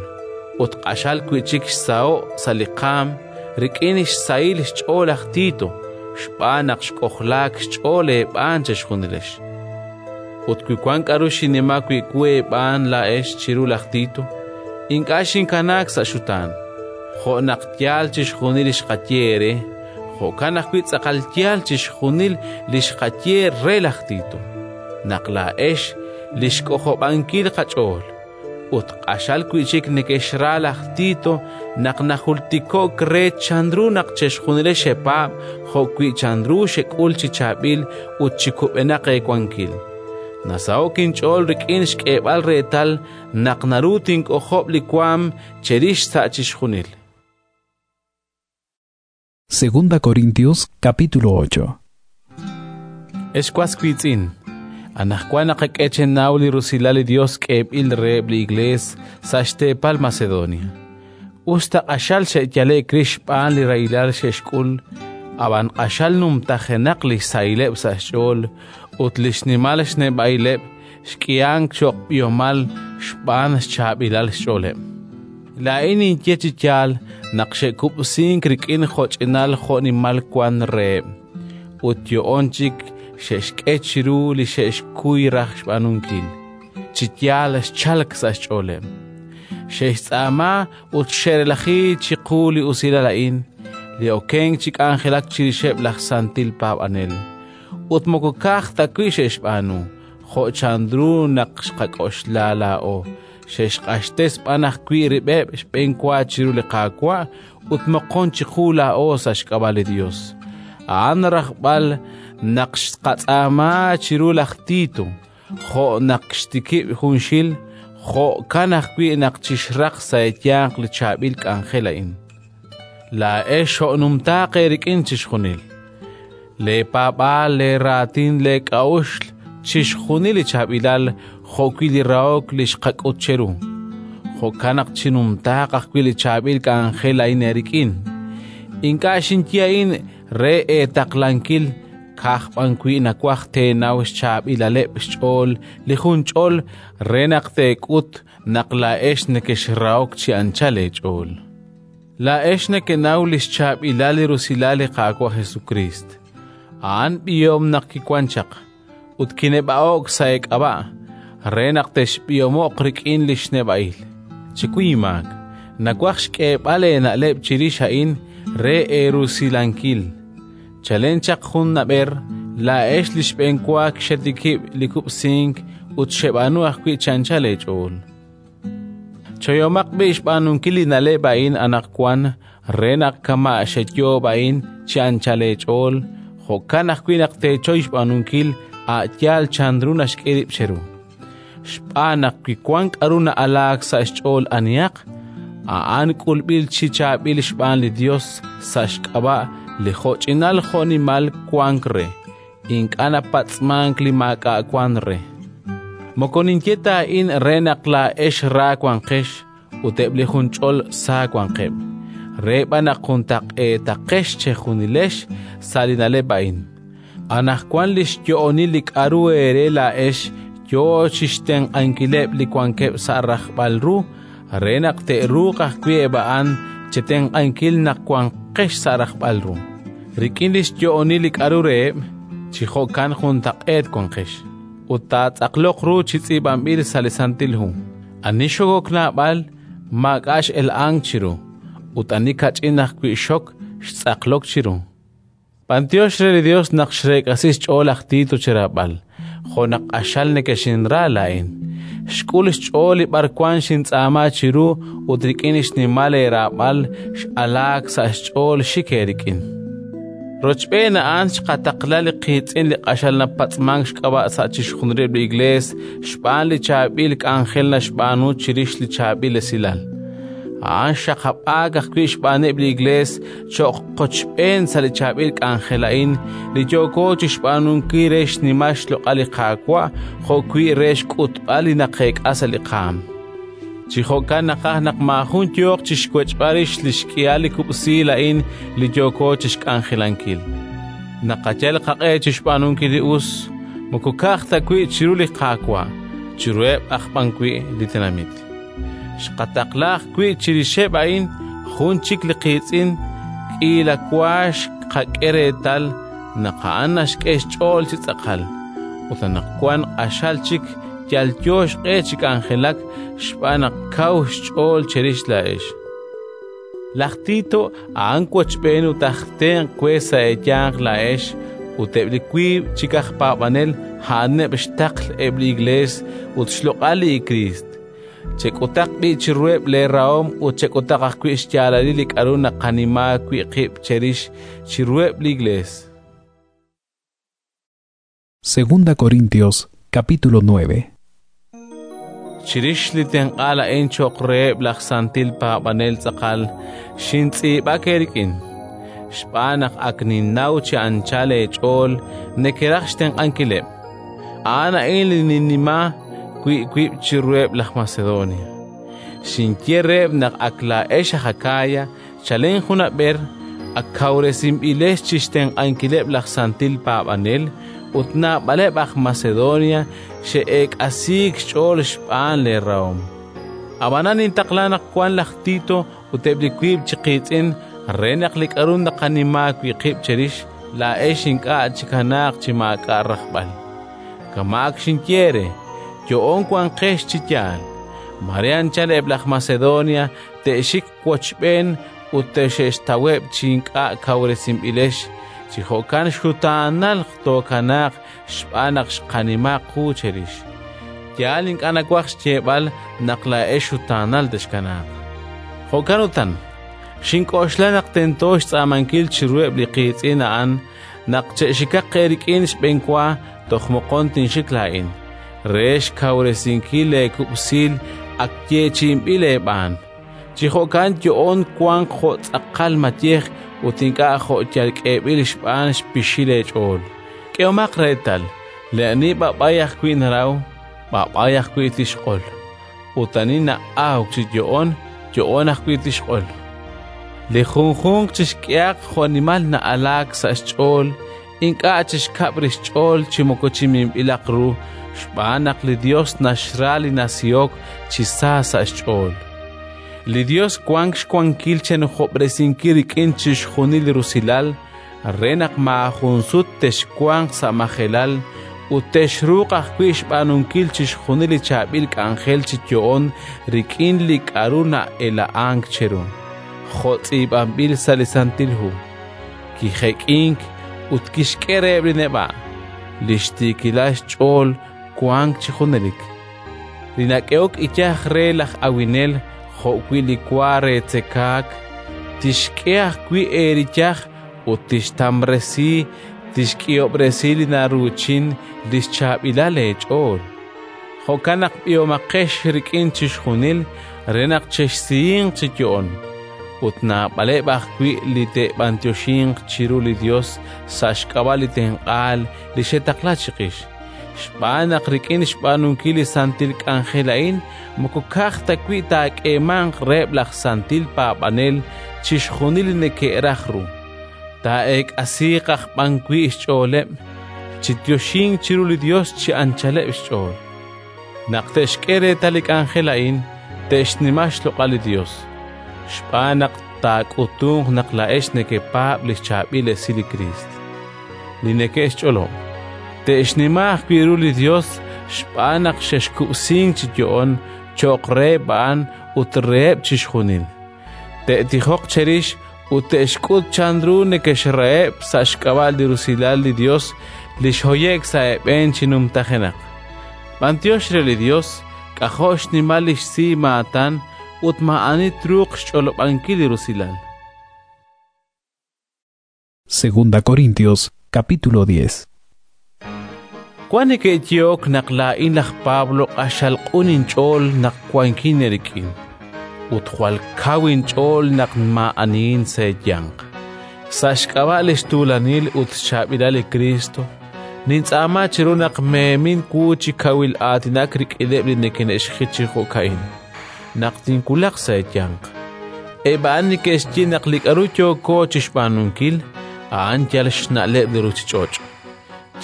ut q'axal wi' chik xsaho' sa' li qaanm rik'in xsahil xch'ool laj Tito, xb'aan naq xk'ojlaak xch'ool eeb'aan chixjunilex. Ut wi wank k'aru xinima wi' wu eeb'aan laa'ex chiru laj Tito, ink'a' xinkanaak sa' xutaan. Jo' naq yaal chixjunil li xqaye eere, jo'kan ajwi' tz'aqal yaal chixjunil li xqaye re laj Tito, naq laa'ex li xk'ojob'ankil qach'ool. Ut q'axal wi' chik nekexra laj Tito naq najultiko'k re chanru naq chixjunilex xepaab' jo'wi' chanru xek'ul chi chaab'il ut chi kub'enaq eewankil. Nasaho'k inch'ool rik'in xk'eeb'al reetal naq naru tink'ojob' li waanm cherix sa' chixjunil. Segunda Corintios capítulo ocho. Ex was wiitz'in, anaqwan naqak'e chenaw li rusilal li Dios k'eeb'il reheb' li Iglees sa' xteepal Macedonia. Us ta q'axal xe'yale'k rix xb'aan li rahilal xe'xk'ul, ab'an q'axal numtajenaq li xsahileb' sa' xch'ool ut li xnimal xneb'a'ileb' xk'ihank cho'q b'ihomal xb'aan xchaab'ilal xch'ooleb'. Laa'in ninye chi yaal naq xe'kub'sink rik'in jo'ch'inal jo'nimal wank reheb', ut yo'oon chik xe'xk'e chiru li xe'xkuy raj xb'aanunkil. Chi yaal xchalk sa' xch'ooleb'. Xe'xtz'aama ut xe'relaji chiqu li usilal a'in, li okenk chi k'anjelak chirixeb' laj santil paab'anel. Ut moko ka'aj ta wi' xe'xb'aanu, jo' chanru naq xqak'oxla laa'o, xe'xq'axtes b'an ajwi' rib'eb' xb'enwa chiru li Qaawa' ut moqon chiqu laa'o sa' xk'ab'a' li Yos. A'an rajb'al naq xqatz'aama chiru laj Tito, jo' naq xtikib' junxil, jo'kan ajwi' naq chixraq sa' eeyanq li chaab'il k'anjel a'in. Laa'ex xo'numtaaq eerik'in chixjunil. Leepaab'aal, leeraatin, leek'a'uxl, chixjunil li chaab'ilal jo'wi' li rahok li xqak'ut cheru. Jo'kan naq chinumtaaq ajwi' li chaab'il k'anjel a'in eerik'in. Ink'a' xinye a'in re eetaqlankil, ka'aj b'an wi' nawaj teenaw xchaab'ilaleb' xch'ool li junch'ol re naq teek'ut naq laa'ex nekexrahok chi anchal eech'ool. Laa'ex nekenaw li xchaab'ilal li rusilal li Qaawa' Jesukriist. A'an b'ihom naq kiwank chaq ut kineb'a'o'k sa' eek'ab'a' re naq texb'ihomo'q rik'in li xneb'a'il. Chikuy imaak, nawaj xk'eeb'al eena'leb' chirix a'in re eerusilankil. Chalen chaq jun nab'er Laa'ex li xb'enwa xetikib' li kub'sink ut xeb'aanu ajwi' chi anchal eech'ool. Choyomaq b'i' xb'aanunkil li na'leb' a'in anaqwan re naq kama' xeyoob' a'in chi anchal eech'ool, jo'kan ajwi' naq teechoy xb'aanunkil a' yaal chanru naxk'e rib' cheru. Xb'aan naq wi wank k'aru na'alaak sa' xch'ool anihaq, a'an k'ulb'il chi chaab'il xb'aan li Yos sa' xk'ab'a' li jo'ch'inal jo'nimal wank re, ink'a' napatz'mank li maak'a' wank re. Moko ninye ta a'in re naq laa'ex ra wanqex ut eb' li junch'ol sa wanqeb', re b'an naq juntaq'eetaqex chejunilex sa' li na'leb' a'in. Anaqwan li xyo'onil li k'aru eere laa'ex yo chi xtenq'ankileb' li wankeb' sa' rajb'al ru re naq te'ruuq ajwi' eb' a'an chetenq'ankil naq wanqex sa' rajb'al ru. Rik'in li xyo'onil li k'aru reheb', chi jo'kan juntaq'eet wanqex. Ut taatz'aqloq ru chi tz'iib'anb'il sa' li Santil Hu: Ani xokok naab'al, maak'a' x'ela'ank chiru, ut ani kach'in ajwi' xok, xtz'aqlok chiru. B'antiox re li Yos naq xreek'asi xch'ool laj Tito cheraab'al, jo' naq q'axal nekexinra laa'in. Xk'ul xch'ool li b'arwan xintz'aama chiru ut rik'in xnimal eeraab'al x'alaak sa' xch'ool xik eerik'in. Rochb'een a'an xqataqla li qiitz'in li q'axal napatz'mank xk'ab'a' sa' chixjunileb' li Iklees xb'aan li chaab'il k'anjel naxb'aanu chirix li chaab'il esilal. A'an xxaqab'aak ajwi' xb'aaneb' li Iklees cho'q qochb'een sa' li chaab'il k'anjel a'in li yooko chi xb'aanunkil re xnimal xloq'al li Qaawa' jo'wi' re xk'utb'al li naqeek'a sa' li qaanm. Chi jo'kan naqaj naq maajun yooq chi xwech'b'al rix li xk'ihal li kub'siil a'in li yooko chi xk'anjelankil. Naqayal qaq'e chi xb'aanunkil li us, moko ka'aj ta wi' chiru li Qaawa', chiruheb' aj b'an wi' li tenamit. Xqataqla ajwi' chirixeb' a'in jun chik li qiitz'in k'iila wa xqak'e reetal naq a'an naxk'e xch'ool chi tz'aqal, ut anaqwan q'axal chik yalyo xq'e chi k'anjelak xb'aan naq kaw xch'ool cherix laa'ex. Laj Tito a'an wochb'een ut aj tenq' we sa' eeyanq laa'ex ut eb' li wiib' chik aj paab'anel a'aneb' xtaql eb' li Iklees ut xloq'al li Kriist. Chek'utaq b'i' chiruheb' leerahom ut chek'utaq ajwi' xyaalalil li k'aru naqanima wi' qib' cherix chiruheb' li Iklees. Segunda Corintios capítulo nueve. Chirix li tenq'aal a'in cho'q reheb' laj santil paab'anel tz'aqal xintz'iib'ak eerik'in, xb'aan naq ak ninnaw chi anchal eech'ool nekeraj xtenq'ankileb'. A'an a'in li ninnima wi' wib' chiruheb' laj Macedonia. Xinye reheb' naq ak laa'ex aj Akaya chalen junab'er ak kawresinb'ilex chi xtenq'ankileb' laj santil paab'anel ut naab'aleb' aj Macedonia xe'eek'asiik xch'ool xb'aan leerahom. Ab'anan nintaqla naq wank laj Tito ut eb' li wiib' chi qiitz'in re naq li k'aru naqanima wi' qib' cherix laa'ex ink'a' chikanaaq chi maak'a' rajb'al. Kama' ak xinye eere, yo'oon wanqex chi yaal. Mare anchal eb' laj Macedonia te'xik wochb'een ut te'xe'xtaweb' chi ink'a' kawresinb'ilex, chi jo'kan xutaanal tookanaaq xb'aan naq xqanima qu cherix. Yaal ink'a' nawaj xyeeb'al naq laa'ex xutaanal texkanaaq. Jo'kan utan, xink'oxla naq tento xtz'aamankil chiruheb' li qiitz'in a'an naq che'xikaq eerik'in xb'enwa toj moqon tinxik laa'in, re xkawresinkil leekub'siil ak yeechi'inb'il eeb'aan. Chi jo'kan yo'oon wanq jo' tz'aqal mayej ut ink'a' jo' yal k'eeb'il xb'aan xpixil eech'ool. K'ehomaq reetal, li ani b'ab'ay ajwi' naraw, b'ab'ay ajwi' tixq'ol, ut ani na'awk chi yo'oon, yo'oon ajwi' tixq'ol. Li junjunq chixk'ehaq jo'nimal na'alaak sa' xch'ool, ink'a' chixkab' rix xch'ool chi moko chi minb'ilaq ru, xb'aan naq li Yos naxra li nasihok chi sa sa' xch'ool. Li Yos wank xwankil chenujob'resinkil rik'in chixjunil li rusilal re naq maajun sut texwanq sa' majelal ut texruuq ajwi' xb'aanunkil chixjunil li chaab'il k'anjel chi yo'oon rik'in li k'aru na'ela'ank cheru, jo' tz'iib'anb'il sa' li Santil Hu. Kijek'ink ut kixk'e reheb' li neb'a', Li xtiikilal xch'ool wank chi junelik. Li nak'ehok iyaj re laj awinel jo'wi' li wa re tzekaak, tixk'e ajwi' eeriyaj ut tixtamresi, tixk'ihob'resi li naruuchin li xchaab'ilal eech'ool. Jo'kan naq b'ihomaqex rik'in chixjunil re naq chexsihinq chi yo'on. Ut naab'aleb' ajwi' li te'b'anyoxinq chiru li Yos sa' xk'ab'a' li tenq'aal li xetaqla chiqix. Xb'aan naq rik'in xb'aanunkil li santil k'anjel a'in moko ka'aj ta wi' taak'eemanq reheb' laj santil paab'anel chixjunil li neke'raj ru, taa'eek'asiiq aj b'an wi' xch'ooleb' chi yoxink chiru li Yos chi anchaleb' xch'ool. Naq te'xk'e reetal li k'anjel a'in, te'xnima xloq'al li Yos, xb'aan naq taak'utunq naq laa'ex nekepaab' li xchaab'il esil li Kriist. Li neke'xch'olob', te'xnima ajwi' ru li Yos xb'aan naq xexkub'sink chi yo'on cho'q reheb' a'an ut reheb' chixjunil. Te'tijoq cherix ut te'xk'ut chanru nekexraheb' sa' xk'ab'a' li rusilal li Yos li xhoye'k sa' eeb'een chi numtajenaq. B'antiox re li Yos, k'ajo' xnimal li xsi maatan ut maa'ani truuq xch'olob'ankil li rusilal. Segunda Corintios, capítulo diez. Wan neke'yehok naq laa'in laj Pablo q'axal q'un inch'ool naq wankin eerik'in, ut jwal kaw inch'ool naq maa'anihin sa' eeyanq. Sa' xk'ab'a' li xtuulanil ut xchaab'ilal li Kristo, nintz'aama chiru naq meemin wu chi kawil aatinak rik'ineb' li neke'xjit chi jo'ka'in, naq tinwulaq sa' eeyanq. Eb' a'an neke'xye naq li k'aru yooko chi xb'aanunkil a'an yal xna'leb' li ruuchich'och'.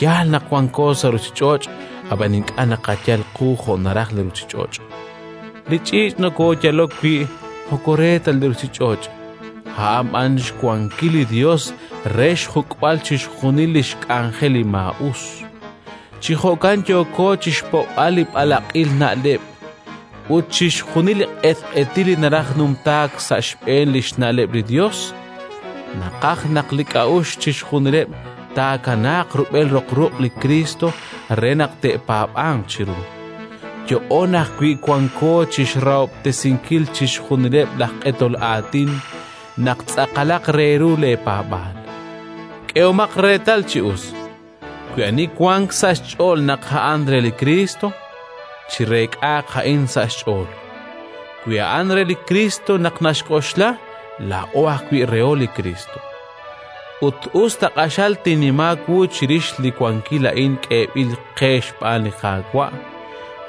Yaal naq wanko sa' ruuchich'och', ab'an ink'a' naqayal qu jo' naraj li ruuchich'och'. Li ch'iich' nokooyalok wi' moko re ta li ruuchich'och', a'an b'an xwankil li Yos re xjuk'b'al chixjunil li xk'anjel li maa'us. Chi jo'kan yooko chi xpo'b'al li b'alaq'il na'leb' ut chixjunil li q'etq'etil li naraj numtaak sa' xb'een li xna'leb' li Yos. Naqaj naq li k'a'uxl chixjunileb' taakanaaq rub'el roq ruq' li Kristo re naq te'paab'anq chiru. Yo'on ajwi' wanko chi xrahob'tesinkil chixjunileb' laj q'etol aatin naq tz'aqalaq re ru leepaab'aal. K'ehomaq reetal chi us, wi ani wank sa' xch'ool naq a'an re li Kristo, chireek'aaq a'in sa' xch'ool. Wi a'an re li Kristo naq naxk'oxla, laa'o ajwi' reho li Kristo. Ut us ta q'axal tinnima wu chirix li wankil a'in k'eeb'il qe xb'aan li Qaawa',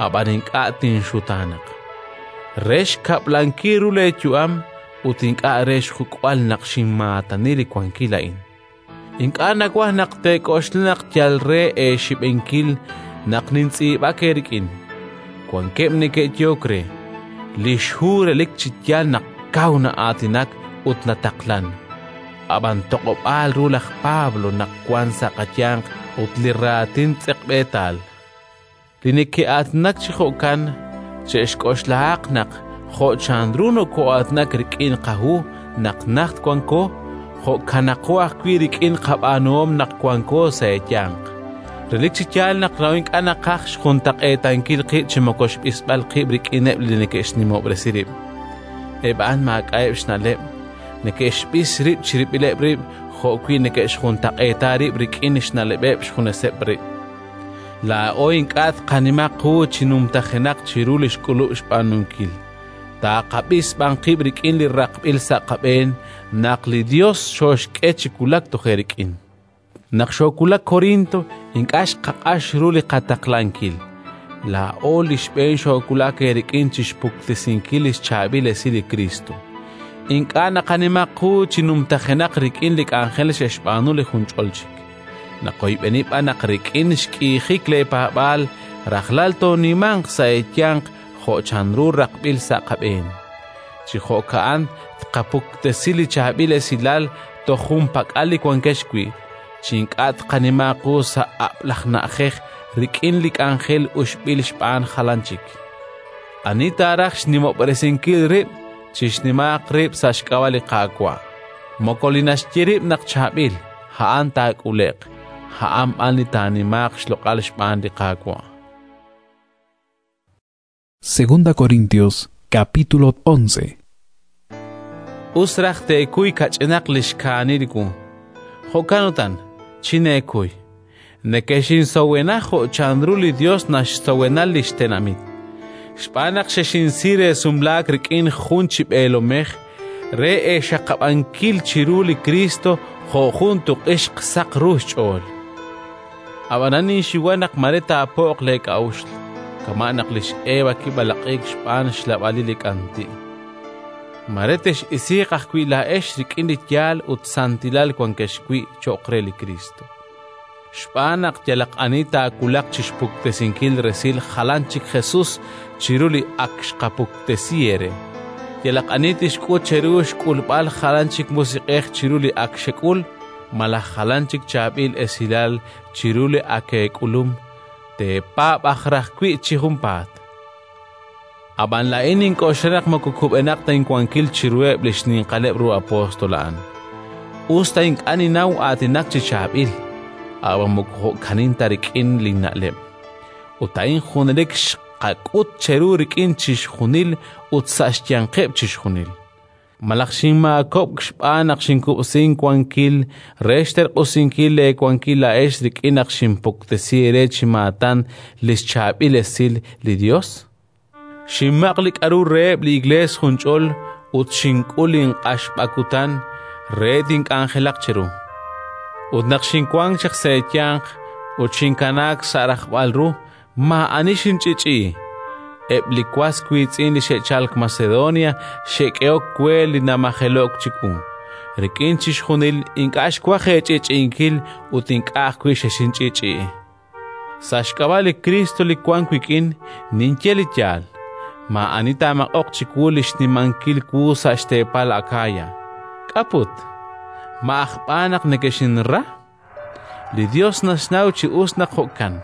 ab'an ink'a' tinxutaanaq. Re xkab'lankil ru leeyu'am ut ink'a' re xjuk'b'al naq xinmaatani li wankil a'in. Ink'a' nawaj naq teek'oxla naq yal re eexib'enkil naq nintz'iib'ak eerik'in. Wankeb' neke'yehok re, li xhu relik chi yaal naq kaw na'aatinak ut nataqlan. Ab'an toq'ob'aal ru laj Pablo naq wank sa' qayanq ut li raatin tz'eqb'eetal. Li neke'aatinak chi jo'kan che'xk'oxlahaq naq jo' chanru nokoo'aatinak rik'in qahu naq najt wanko, jo'kanaqo ajwi' rik'in qab'aanuhom naq wanko sa' eeyanq. Relik chi yaal naq laa'o ink'a' naqaj xjuntaq'eetankil qib' chi moko xb'isb'al qib' rik'ineb' li neke'xnimob'resi rib'. Eb' a'an maak'a'eb' xna'leb', neke'xb'is rib' chirib'ileb' rib' jo'wi' neke'xjuntaq'eeta rib' rik'in xna'leb'eb' xjuneseb' rib'. Laa'o ink'a' tqanima qu chi numtajenaq chiru li xk'ulub' xb'aanunkil. Taaqab'is b'an qib' rik'in li raqb'il sa' qab'een naq li Yos xooxk'e chi wulak toj eerik'in. Naq xoowulak Corinto, ink'a' xqaq'ax ru li qataqlankil. Laa'o li xb'een xoowulak eerik'in chi xpuktesinkil li xchaab'il esil li Kristo. Ink'a' naqanima qu chi numtajenaq rik'in li k'anjel xe'xb'aanu li junch'ol chik. Naqoyb'eni b'an naq rik'in xk'iijik leepaab'aal rajlal toonimanq sa' eeyanq jo' chanru raqb'il sa' qab'een. Chi jo'ka'an tqapuktesi li chaab'il esilal toj junpak'al li wankex wi', chi ink'a' tqanima qu sa' ab'laj na'ajej rik'in li k'anjel uxb'il xb'aan jalan chik. Ani taaraj xnimob'resinkil rib', chixnimaaq rib' sa' xk'ab'a' li Qaawa'. Moko li naxye rib' naq chaab'il, a'an taak'ule'q, a'an b'an li taanimaaq xloq'al xb'aan li Qaawa'. Segunda Corintios capítulo once. Us raj teekuy kach'inaq li xkaanil wu. Jo'kan utan, chineekuy. Nekexinsowenaj jo' chanru li Dios naxsowena li xtenamit. Xb'aan naq xexinsi re sumlaak rik'in jun chi b'eelomej re eexaqab'ankil chiru li Kristo jo' jun tuq'ixq saq ru xch'ool. Ab'anan ninxiwa naq mare taapo'q leek'a'uxl, kama' naq lix Eva kib'alaq'iik xb'aan xlab'alil li k'anti'. Mare tex'isiiq ajwi' laa'ex rik'in li yaal ut santilal wankex wi' cho'q re li Kristo. Xb'aan naq yalaq ani taawulaq chi xpuktesinkil resil jalan chik Jesus chiru li ak xqapuktesi eere. Yalaq ani tixk'ut cheru xk'ulb'al jalan chik musiq'ej chiru li ak xek'ul, malaj jalan chik chaab'il esilal chiru li ak eek'ulum, teepaab' aj raj wi' chi junpaat. Ab'an laa'in nink'oxla naq moko kub'enaq ta inwankil chiruheb' li xninqaleb' ru apóstol a'an. Us ta ink'a' ninnaw aatinak chi chaab'il, ab'an moko jo'kanin ta rik'in linna'leb'. Ut a'in junelik xqak'ut cheru rik'in chixjunil ut sa' xyanqeb' chixjunil. Malaj xinmaakob'k xb'aan naq xinkub'sink wankil re xterq'usinkil leewankil laa'ex rik'in naq xinpuktesi eere chi maatan li xchaab'il esil li Dios? Xinmaq' li k'aru reheb' li iglees junch'ol ut xink'ul inq'axb'akutan re tink'anjelaq cheru. Ut naq xinwank chaq sa' eeyanq ut xinkanaak sa' rajb'al ru, maa'ani xinch'ich'i. Eb' li was wiitz'in li xe'chalk Macedonia xe'k'ehok we li namajelo'k chiwu. Rik'in chixjunil ink'a' xwaj eech'ich'inkil ut ink'a' ajwi' xexinch'ich'i. Sa' xk'ab'a' li Kristo li wank wik'in, ninye li yaal. Maa'ani taamaq'oq chiwu li xnimankil wu sa' xteepal Akaya. K'aput, ma aj b'aan naq nekexinra? Li Dios naxnaw chi us naq jo'kan.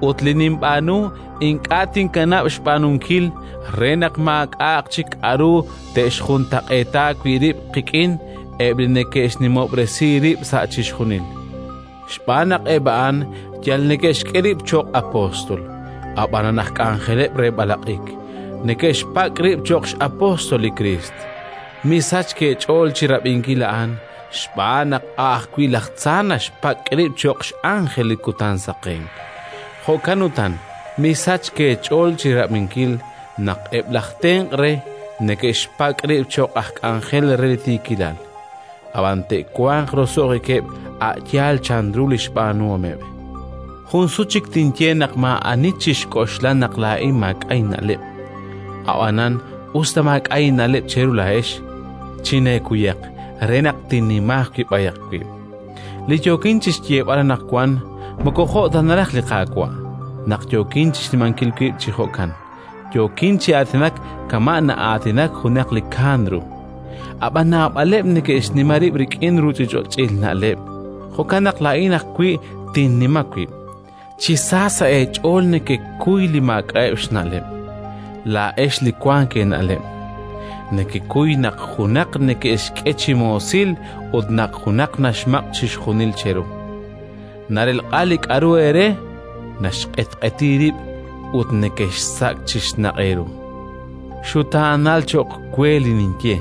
Ut li ninb'aanu ink'a' tinkanab' xb'aanunkil re naq maak'a'aq chik k'aru te'xjuntaq'eeta wi' rib' qik'in eb' li neke'xnimob'resi rib' sa' chixjunil. Xb'aan naq eb' a'an yal neke'xk'e rib' cho'q apóstol, ab'anan aj k'anjeleb' re b'alaq'ik, neke'xpak' rib' cho'q x'apóstol li Kriist. Misachk eech'ool chi rab'inkil a'an, xb'aan naq a' ajwi' laj tza naxpak' rib' cho'q x'ánjel li kutan saqenk. Jo'kan utan, misachk eech'ool chi rab'inkil naq eb' laj tenq' re neke'xpak' rib' cho'q aj k'anjel re li tiikilal, ab'an te'wanq roso'jikeb' a' yaal chanru li xb'aanuhomeb'. Jun sut chik tinye naq maa'ani chixk'oxla naq laa'in maak'a' inna'leb'. Ab'anan us ta maak'a' inna'leb' cheru laa'ex, chineekuyaq re naq tinnima ajwi' b'ayaq wib'. Li yookin chi xyeeb'al anaqwan moko jo' ta naraj li Qaawa', naq yookin chi xnimankil wib' chi jo'kan, yookin chi aatinak kama' na'aatinak junaq li kaan ru. Ab'an naab'aleb' neke'xnima rib' rik'in ruuchich'och'il na'leb', jo'kan naq laa'in ajwi' tinnima wib'. Chi sa sa' eech'ool nekekuy li maak'a'eb' xna'leb', laa'ex li wank eena'leb'. Nekekuy naq junaq neke'xk'e chi moosil ut naq junaq naxmaq' chixjunil cheru. Narelq'a li k'aru eere, naxq'etq'eti rib' ut nekexsak' chi xnaq' eeru. Xutaanal cho'q we li ninye,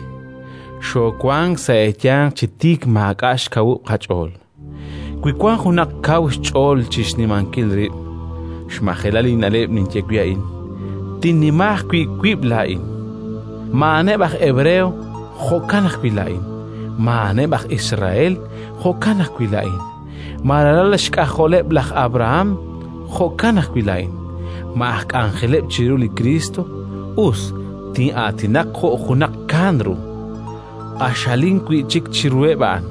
xoowank sa' eeyanq chi tiik maak'a' xkawub' qach'ool. Wi wank junaq kaw xch'ool chi xnimankil rib', xmajelal inna'leb' ninye wi' a'in, tinnima ajwi' wib' laa'in. Ma'aneb' aj Hebreo, jo'kan ajwi' laa'in. Ma'aneb' aj Israel, jo'kan ajwi' laa'in. Ma ralal xk'ajoleb' laj Abraham, jo'kan ajwi' laa'in. Ma aj k'anjeleb' chiru li Kristo, us tin'aatinaq jo' junaq kaan ru. Q'axalin wi' chik chiruheb' a'an.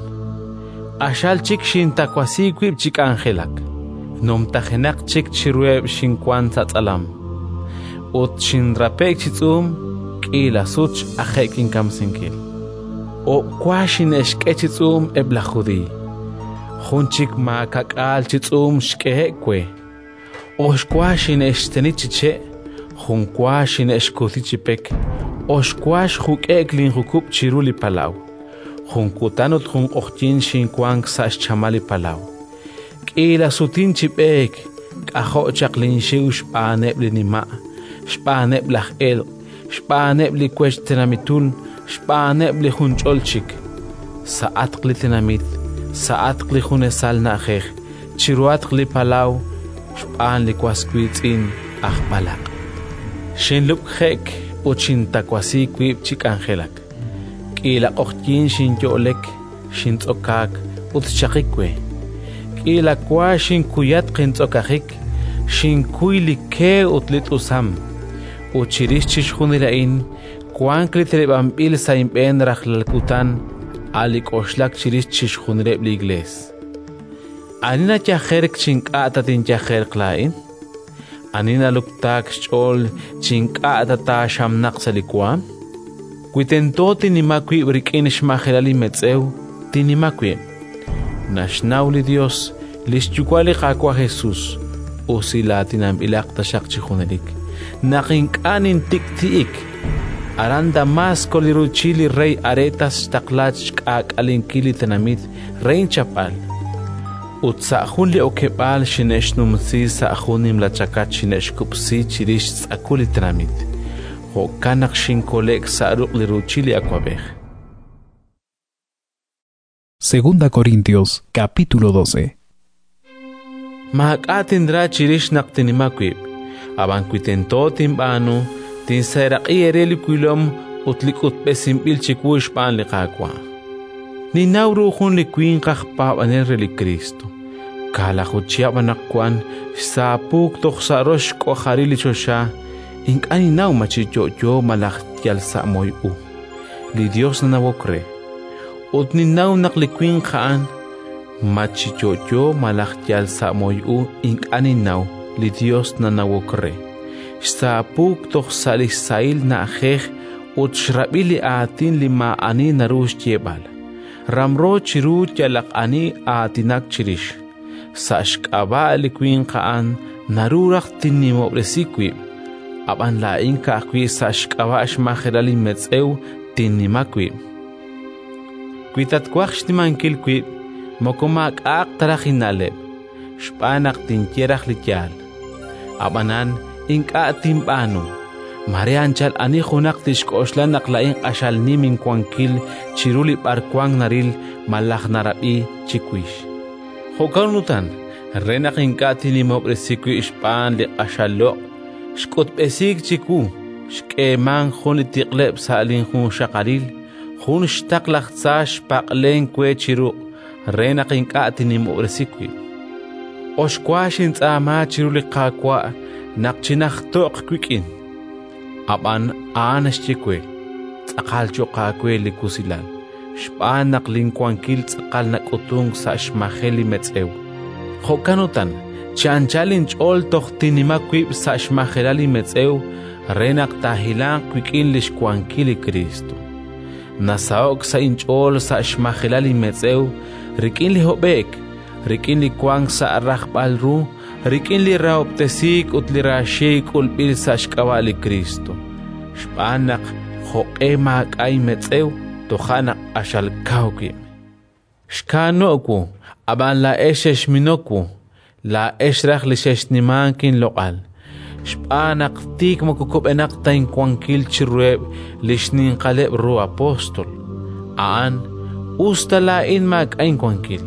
Q'axal chik xintawasi wib' chi k'anjelak. Numtajenaq chik chiruheb' xinwank sa' tz'alam. Ut xinrape'k chi tz'uum, k'iila sut x'aje'k inkamsinkil. O'wa xine'xk'e chi tz'uum eb' laj Judiiy. Jun chik maakak'aal chi tz'uum xk'ehe'k we. Oxwa xine'xteni chi che', jun wa xine'xkuti chi pek, oxwa xjuk'e'k linjukub' chiru li palaw. Jun kutan ut jun q'oqyink xinwank sa' xchamal li palaw. K'iila sutin chi b'eek, k'ajo' chaq linxiw xb'aaneb' li nima', xb'aaneb' laj elq', xb'aaneb' li wech tenamitul, xb'aaneb' li junch'ol chik. Sa'atq li tenamit, sa'atq li junesal na'ajej, chiruhatq li palaw, xb'aan li was wiitz'in aj b'alaq'. Xinlub'je'k ut xintawasi wib' chi k'anjelak. K'iila q'oqyink xinyo'lek, xintz'okaak ut xchaqik we. K'iila wa xinkuyatq intz'okajik, xinkuy li ke ut li t'usam. Ut chirix chixjunil a'in wank li teneb'anb'il sa' inb'een rajlal kutan, a' li k'oxlak chirix chixjunileb' li Iklees. Ani nayajerk chi ink'a' ta tinyajerq laa'in? Ani naluktaak xch'ool chi ink'a' ta taaxamnaq sa' li waanm? Wi tento tinnima wib' rik'in xmajelal inmetz'ew, tinnima wib'. Naxnaw li Yos, li xYuwa' li Qaawa' Jesus, usilaatinanb'ilaq taxaq chi junelik, naq ink'a' nintik'ti'ik. Aran Damasco li ruuchil li rey Aretas xtaqla xk'aak'alenkil li tenamit re inchapb'al. Ut sa' jun li okeb'aal xine'xnumsi sa' jun nimla chakach xine'xkub'si chirix xtz'akul li tenamit. Jo'kan naq xinkole'k sa' ruq' li ruuchil li awab'ej. Segunda Corintios capítulo doce. Maak'a' tinra chirix naq tinnima wib', ab'an wi tento tinb'aanu, tinseeraq'i eere li wilom ut li k'utb'esinb'il chiwu xb'aan li Qaawa'. Ninnaw ru jun li winq aj paab'anel re li Kriist. Kaalaju chihab' anaqwan xsaapuuk toj sa' rox xk'ojaril li choxa, ink'a' ninnaw ma chi yo'yo malaj yal sa' moy u. Li Yos nanawok re. Ut ninnaw naq li winq a'an, ma chi yo'yo malaj yal sa' moy u, ink'a' ninnaw, li Yos nanawok re. Xsaapuuk toj sa' li xsahil na'ajej ut xrab'i li aatin li maa'ani naru xyeeb'al. Ramro chiru yalaq ani aatinak chirix. Sa' xk'ab'a' li winq a'an naru raj tinnimob'resi wib', ab'an laa'in ka'ajwi' sa' xk'ab'a' xmajelal inmetz'ew tinnima wib'. Wi tatwaj xnimankil wib', moko maak'a'aq ta raj inna'leb', xb'aan naq tinye raj li yaal. Ab'anan ink'a' tinb'aanu. Mare anchal ani junaq tixk'oxla naq laa'in q'axal nim inwankil chiru li b'arwan naril malaj narab'i chiwix. Jo'kan utan, re naq ink'a' tinnimob'resi wib' xb'aan li q'axal loq', xk'utb'esiik chiwu, xk'eemank jun li tiq'leb' sa' linjunxaqalil, jun xtaql laj tza xpaq'lenk we chi ruq' re naq ink'a' tinnimob'resi wib'. Oxwa xintz'aama chiru li Qaawa' naq chinajto'q wik'in. Ab'an a'an xye we: tz'aqal cho'q aawe li wusilal, xb'aan naq linwankil tz'aqal nak'utunk sa' xmajel li metz'ew. Jo'kan utan, chi anchal inch'ool toj tinnima wib' sa' xmajelal inmetz'ew re naq taahilanq wik'in li xwankil li Kriist. Nasaho'k sa' inch'ool sa' xmajelal inmetz'ew rik'in li hob'e'k, rik'in li wank sa' rajb'al ru, rik'in li rahob'tesiik ut li raaxiik' k'ulb'il sa' xk'ab'a' li Kriist. Xb'aan naq jo'q'e maak'a' inmetz'ew, toja' naq q'axal kaw wib'. Xkaano'k wu, ab'an laa'ex xexminok wu, laa'ex raj li xexnimank inloq'al. Xb'aan naq tik moko kub'enaq ta inwankil chiruheb' li xninqaleb' ru apóstol. A'an, us ta laa'in maak'a' inwankil.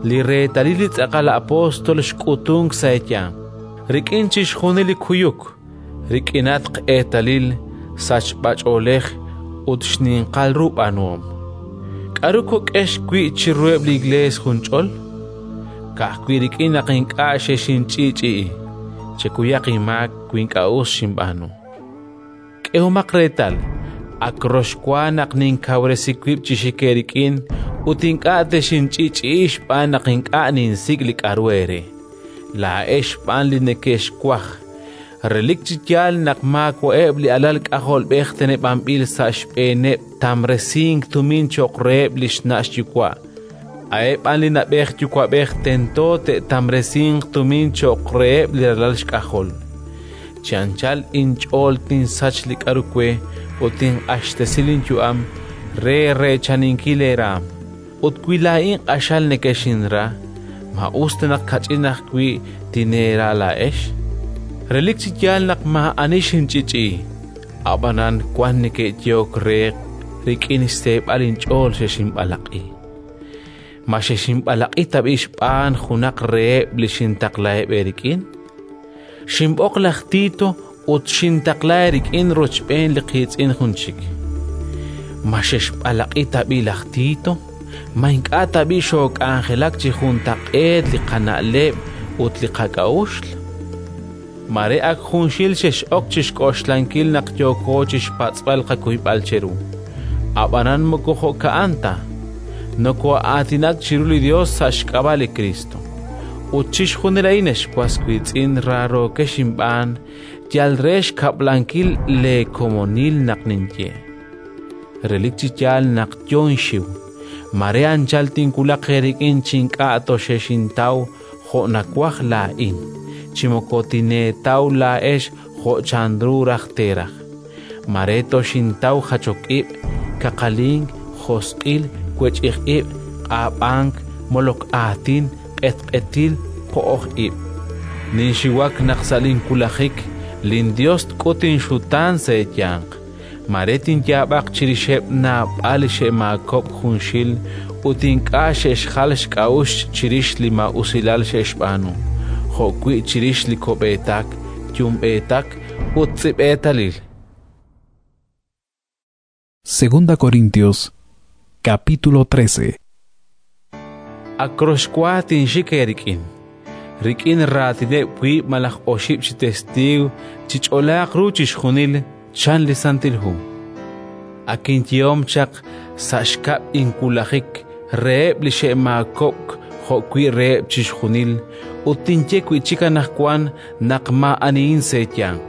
Li reetalil li tz'aqal apóstol xk'utunk sa' eeyanq, rik'in chixjunil li kuyuk, rik'inatq eetalil, sachb'ach'oolej ut xninqal ru b'aanuhom. K'aru kok'ex wi' chiruheb' li Iklees junch'ol? Ka'ajwi' rik'in naq ink'a' xexinch'i'ch'i'i. Chekuyaq inmaak wi ink'a' us xinb'aanu. K'ehomaq reetal, ak rox wa naq ninkawresi wib' chi xik eerik'in ut ink'a' texinch'i'ch'i'i xb'aan naq ink'a' ninsik' li k'aru eere. Laa'ex xb'aan li neke'xwaj. Relik chi yaal naq maawa'eb' li alal k'ajolb'ej teneb'anb'il sa' xb'eeneb' tamresink tumin cho'q reheb' li xna' xyuwa'. A'eb' b'an li na'b'ej yuwa'b'ej tento te'tamresinq tumin cho'q reheb' li ralal xk'ajol. Chi anchal inch'ool tinsach li k'aru we ut tinq'axtesi linyu'am re reechaninkil eeraam. Ut wi laa'in q'axal nekexinra, Ma us ta naq kach'in ajwi' tineera laa'ex? Relik chi yaal naq maa'ani xinch'i'ch'i'i, ab'anan wank neke'yehok re rik'in xseeb'al inch'ool xexinb'alaq'i. Ma xexinb'alaq'i tab'i' xb'aan junaq reheb' li xintaqlaheb' eerik'in? Xinb'oq laj Tito ut xintaqla eerik'in rochb'een li qiitz'in jun chik. Ma xexb'alaq'i tab'i' laj Tito? Ma ink'a' tab'i' xook'anjelak chi juntaq'eet li qana'leb' ut li qak'a'uxl? Mare ak junxil xex'ok chi xk'oxlankil naq yooko chi xpatz'b'al qakuyb'al cheru. Ab'anan moko jo'ka'an ta. Nokoo'aatinak chiru li Yos sa' xk'ab'a' li Kriist. Ut chixjunil a'in, ex was wiitz'in raarookex inb'aan, yal re xkab'lankil leekomonil naq ninye. Relik chi yaal naq yo inxiw, mare anchal tinwulaq eerik'in chi ink'a' toxexintaw jo' nawaj laa'in, chi moko tineetaw laa'ex jo' chanru raj teeraj. Mare toxintaw jachok ib', kaqalink, josq'il, wech'ij ib', q'ab'ank, molok aatin, q'etq'etil, po'oj ib'. Ninxiwak naq sa' linwulajik linYos tk'ut inxutaan sa' eeyanq. Mare tinyaab'aq chirixeb' naab'al li xe'maakob'k junxil ut ink'a' xe'xjal xk'a'uxl chirix li maa'usilal xe'xb'aanu, jo'wi' chirix li ko'b'eetak, yumb'eetak ut tz'i'b'eetalil. Segunda Corintios, capítulo trece. Ak roxwa tinxik eerik'in. Rik'in raatineb' wiib' malaj oxib' chi testiiw chich'olaaq ru chixjunil, chan li Santil Hu. Ak inyehom chaq sa' xkab' inwulajik reheb' li xe'maakob'k jo'wi' reheb' chixjunil, ut tinye wi' chik anaqwan naq maa'anihin sa' eeyanq.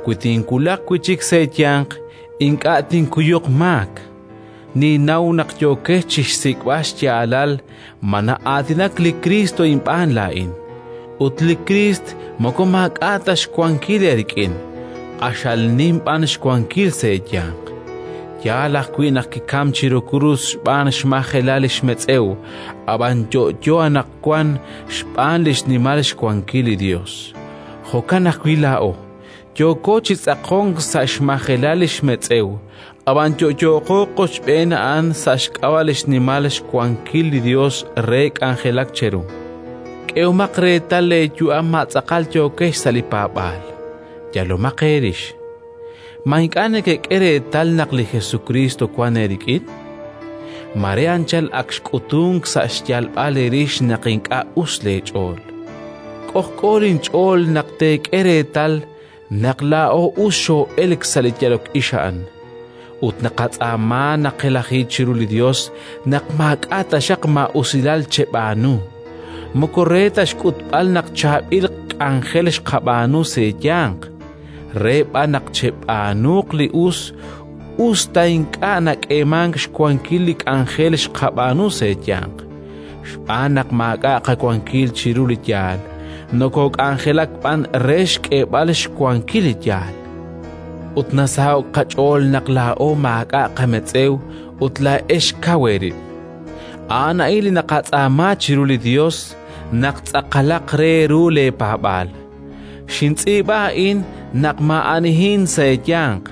Wi tinwulaq wi' chik sa' eeyanq, ink'a' tinkuyuq maak. Ninnaw naq yookex chi xsik'b'al xyaalal ma na'aatinak li Kriist inb'aan laa'in. Ut li Kriist moko maak'a' ta xwankil eerik'in, q'axal nim b'an xwankil sa' eeyanq. Yaal ajwi' naq kikam chiru krus xb'aan xmajelal li xmetz'ew, ab'an yo'yo anaqwan xb'aan li xnimal xwankil li Yos. Jo'kan ajwi' laa'o, yooko chi tz'aqonk sa' xmajelal li xmetz'ew, ab'an yo'yooqo qochb'een a'an sa' xk'ab'a' li xnimal xwankil li Yos re k'anjelak cheru. K'ehomaq reetal leeyu'am ma tz'aqal yookex sa' li paab'aal. Yalomaq eerix. Ma ink'a' nekek'e reetal naq li Jesukriist wank eerik'in? Mare anchal ak xk'utunk sa' xyalb'al eerix naq ink'a' us leech'ool. K'ojk'o linch'ool naq teek'e reetal naq laa'o us xoo'elk sa' li yalok ix a'an. Ut naqatz'aama naqelaji chiru li Yos naq maak'a' taxaq maa'usilal cheb'aanu. Moko re ta xk'utb'al naq chaab'il k'anjel xqab'aanu sa' eeyanq, re b'an naq cheb'aanuuq li us, us ta ink'a' nak'eemank xwankil li k'anjel xqab'aanu sa' eeyanq. Xb'aan naq maak'a' qawankil chiru li yaal, nokook'anjelak b'an re xk'eeb'al xwankil li yaal. Ut nasaho'k qach'ool naq laa'o maak'a' qametz'ew ut laa'ex kaw eerib'. A'an a'in li naqatz'aama chiru li Yos naq tz'aqalaq re ru leepaab'aal. Xintz'iib'a a'in naq maa'anihin sa' eeyanq,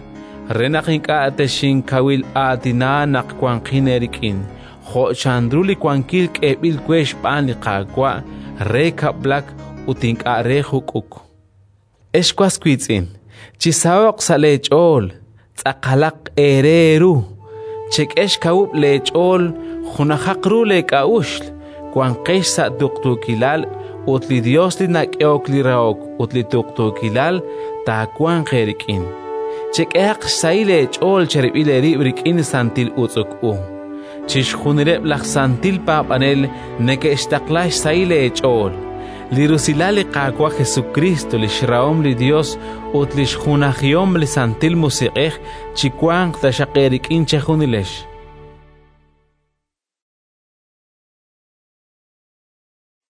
re naq ink'a' texinkawil aatina naq wanqin eerik'in, jo' chanru li wankil k'eeb'il we xb'aan li Qaawa' re kab'lak ut ink'a' re juk'uk. Ex was wiitz'in, chisaho'q sa' leech'ool, tz'aqalaq eere eeru, chek'e xkawub' leech'ool, junajaq ru leek'a'uxl, wanqex sa' tuqtuukilal ut li Yos li nak'ehok li rahok ut li tuqtuukilal taawanq eerik'in. Chek'ehaq xsahil eech'ool cherib'il eerib' rik'in santil utz'uk u. Chixjunileb' laj santil paab'anel neke'xtaqla xsahil eech'ool. Li rusilal li Qaawa' Jesukriist, li xrahom li Yos ut li xjunajihom li Santil Musiq'ej chiwanq taxaq eerik'in chejunilex.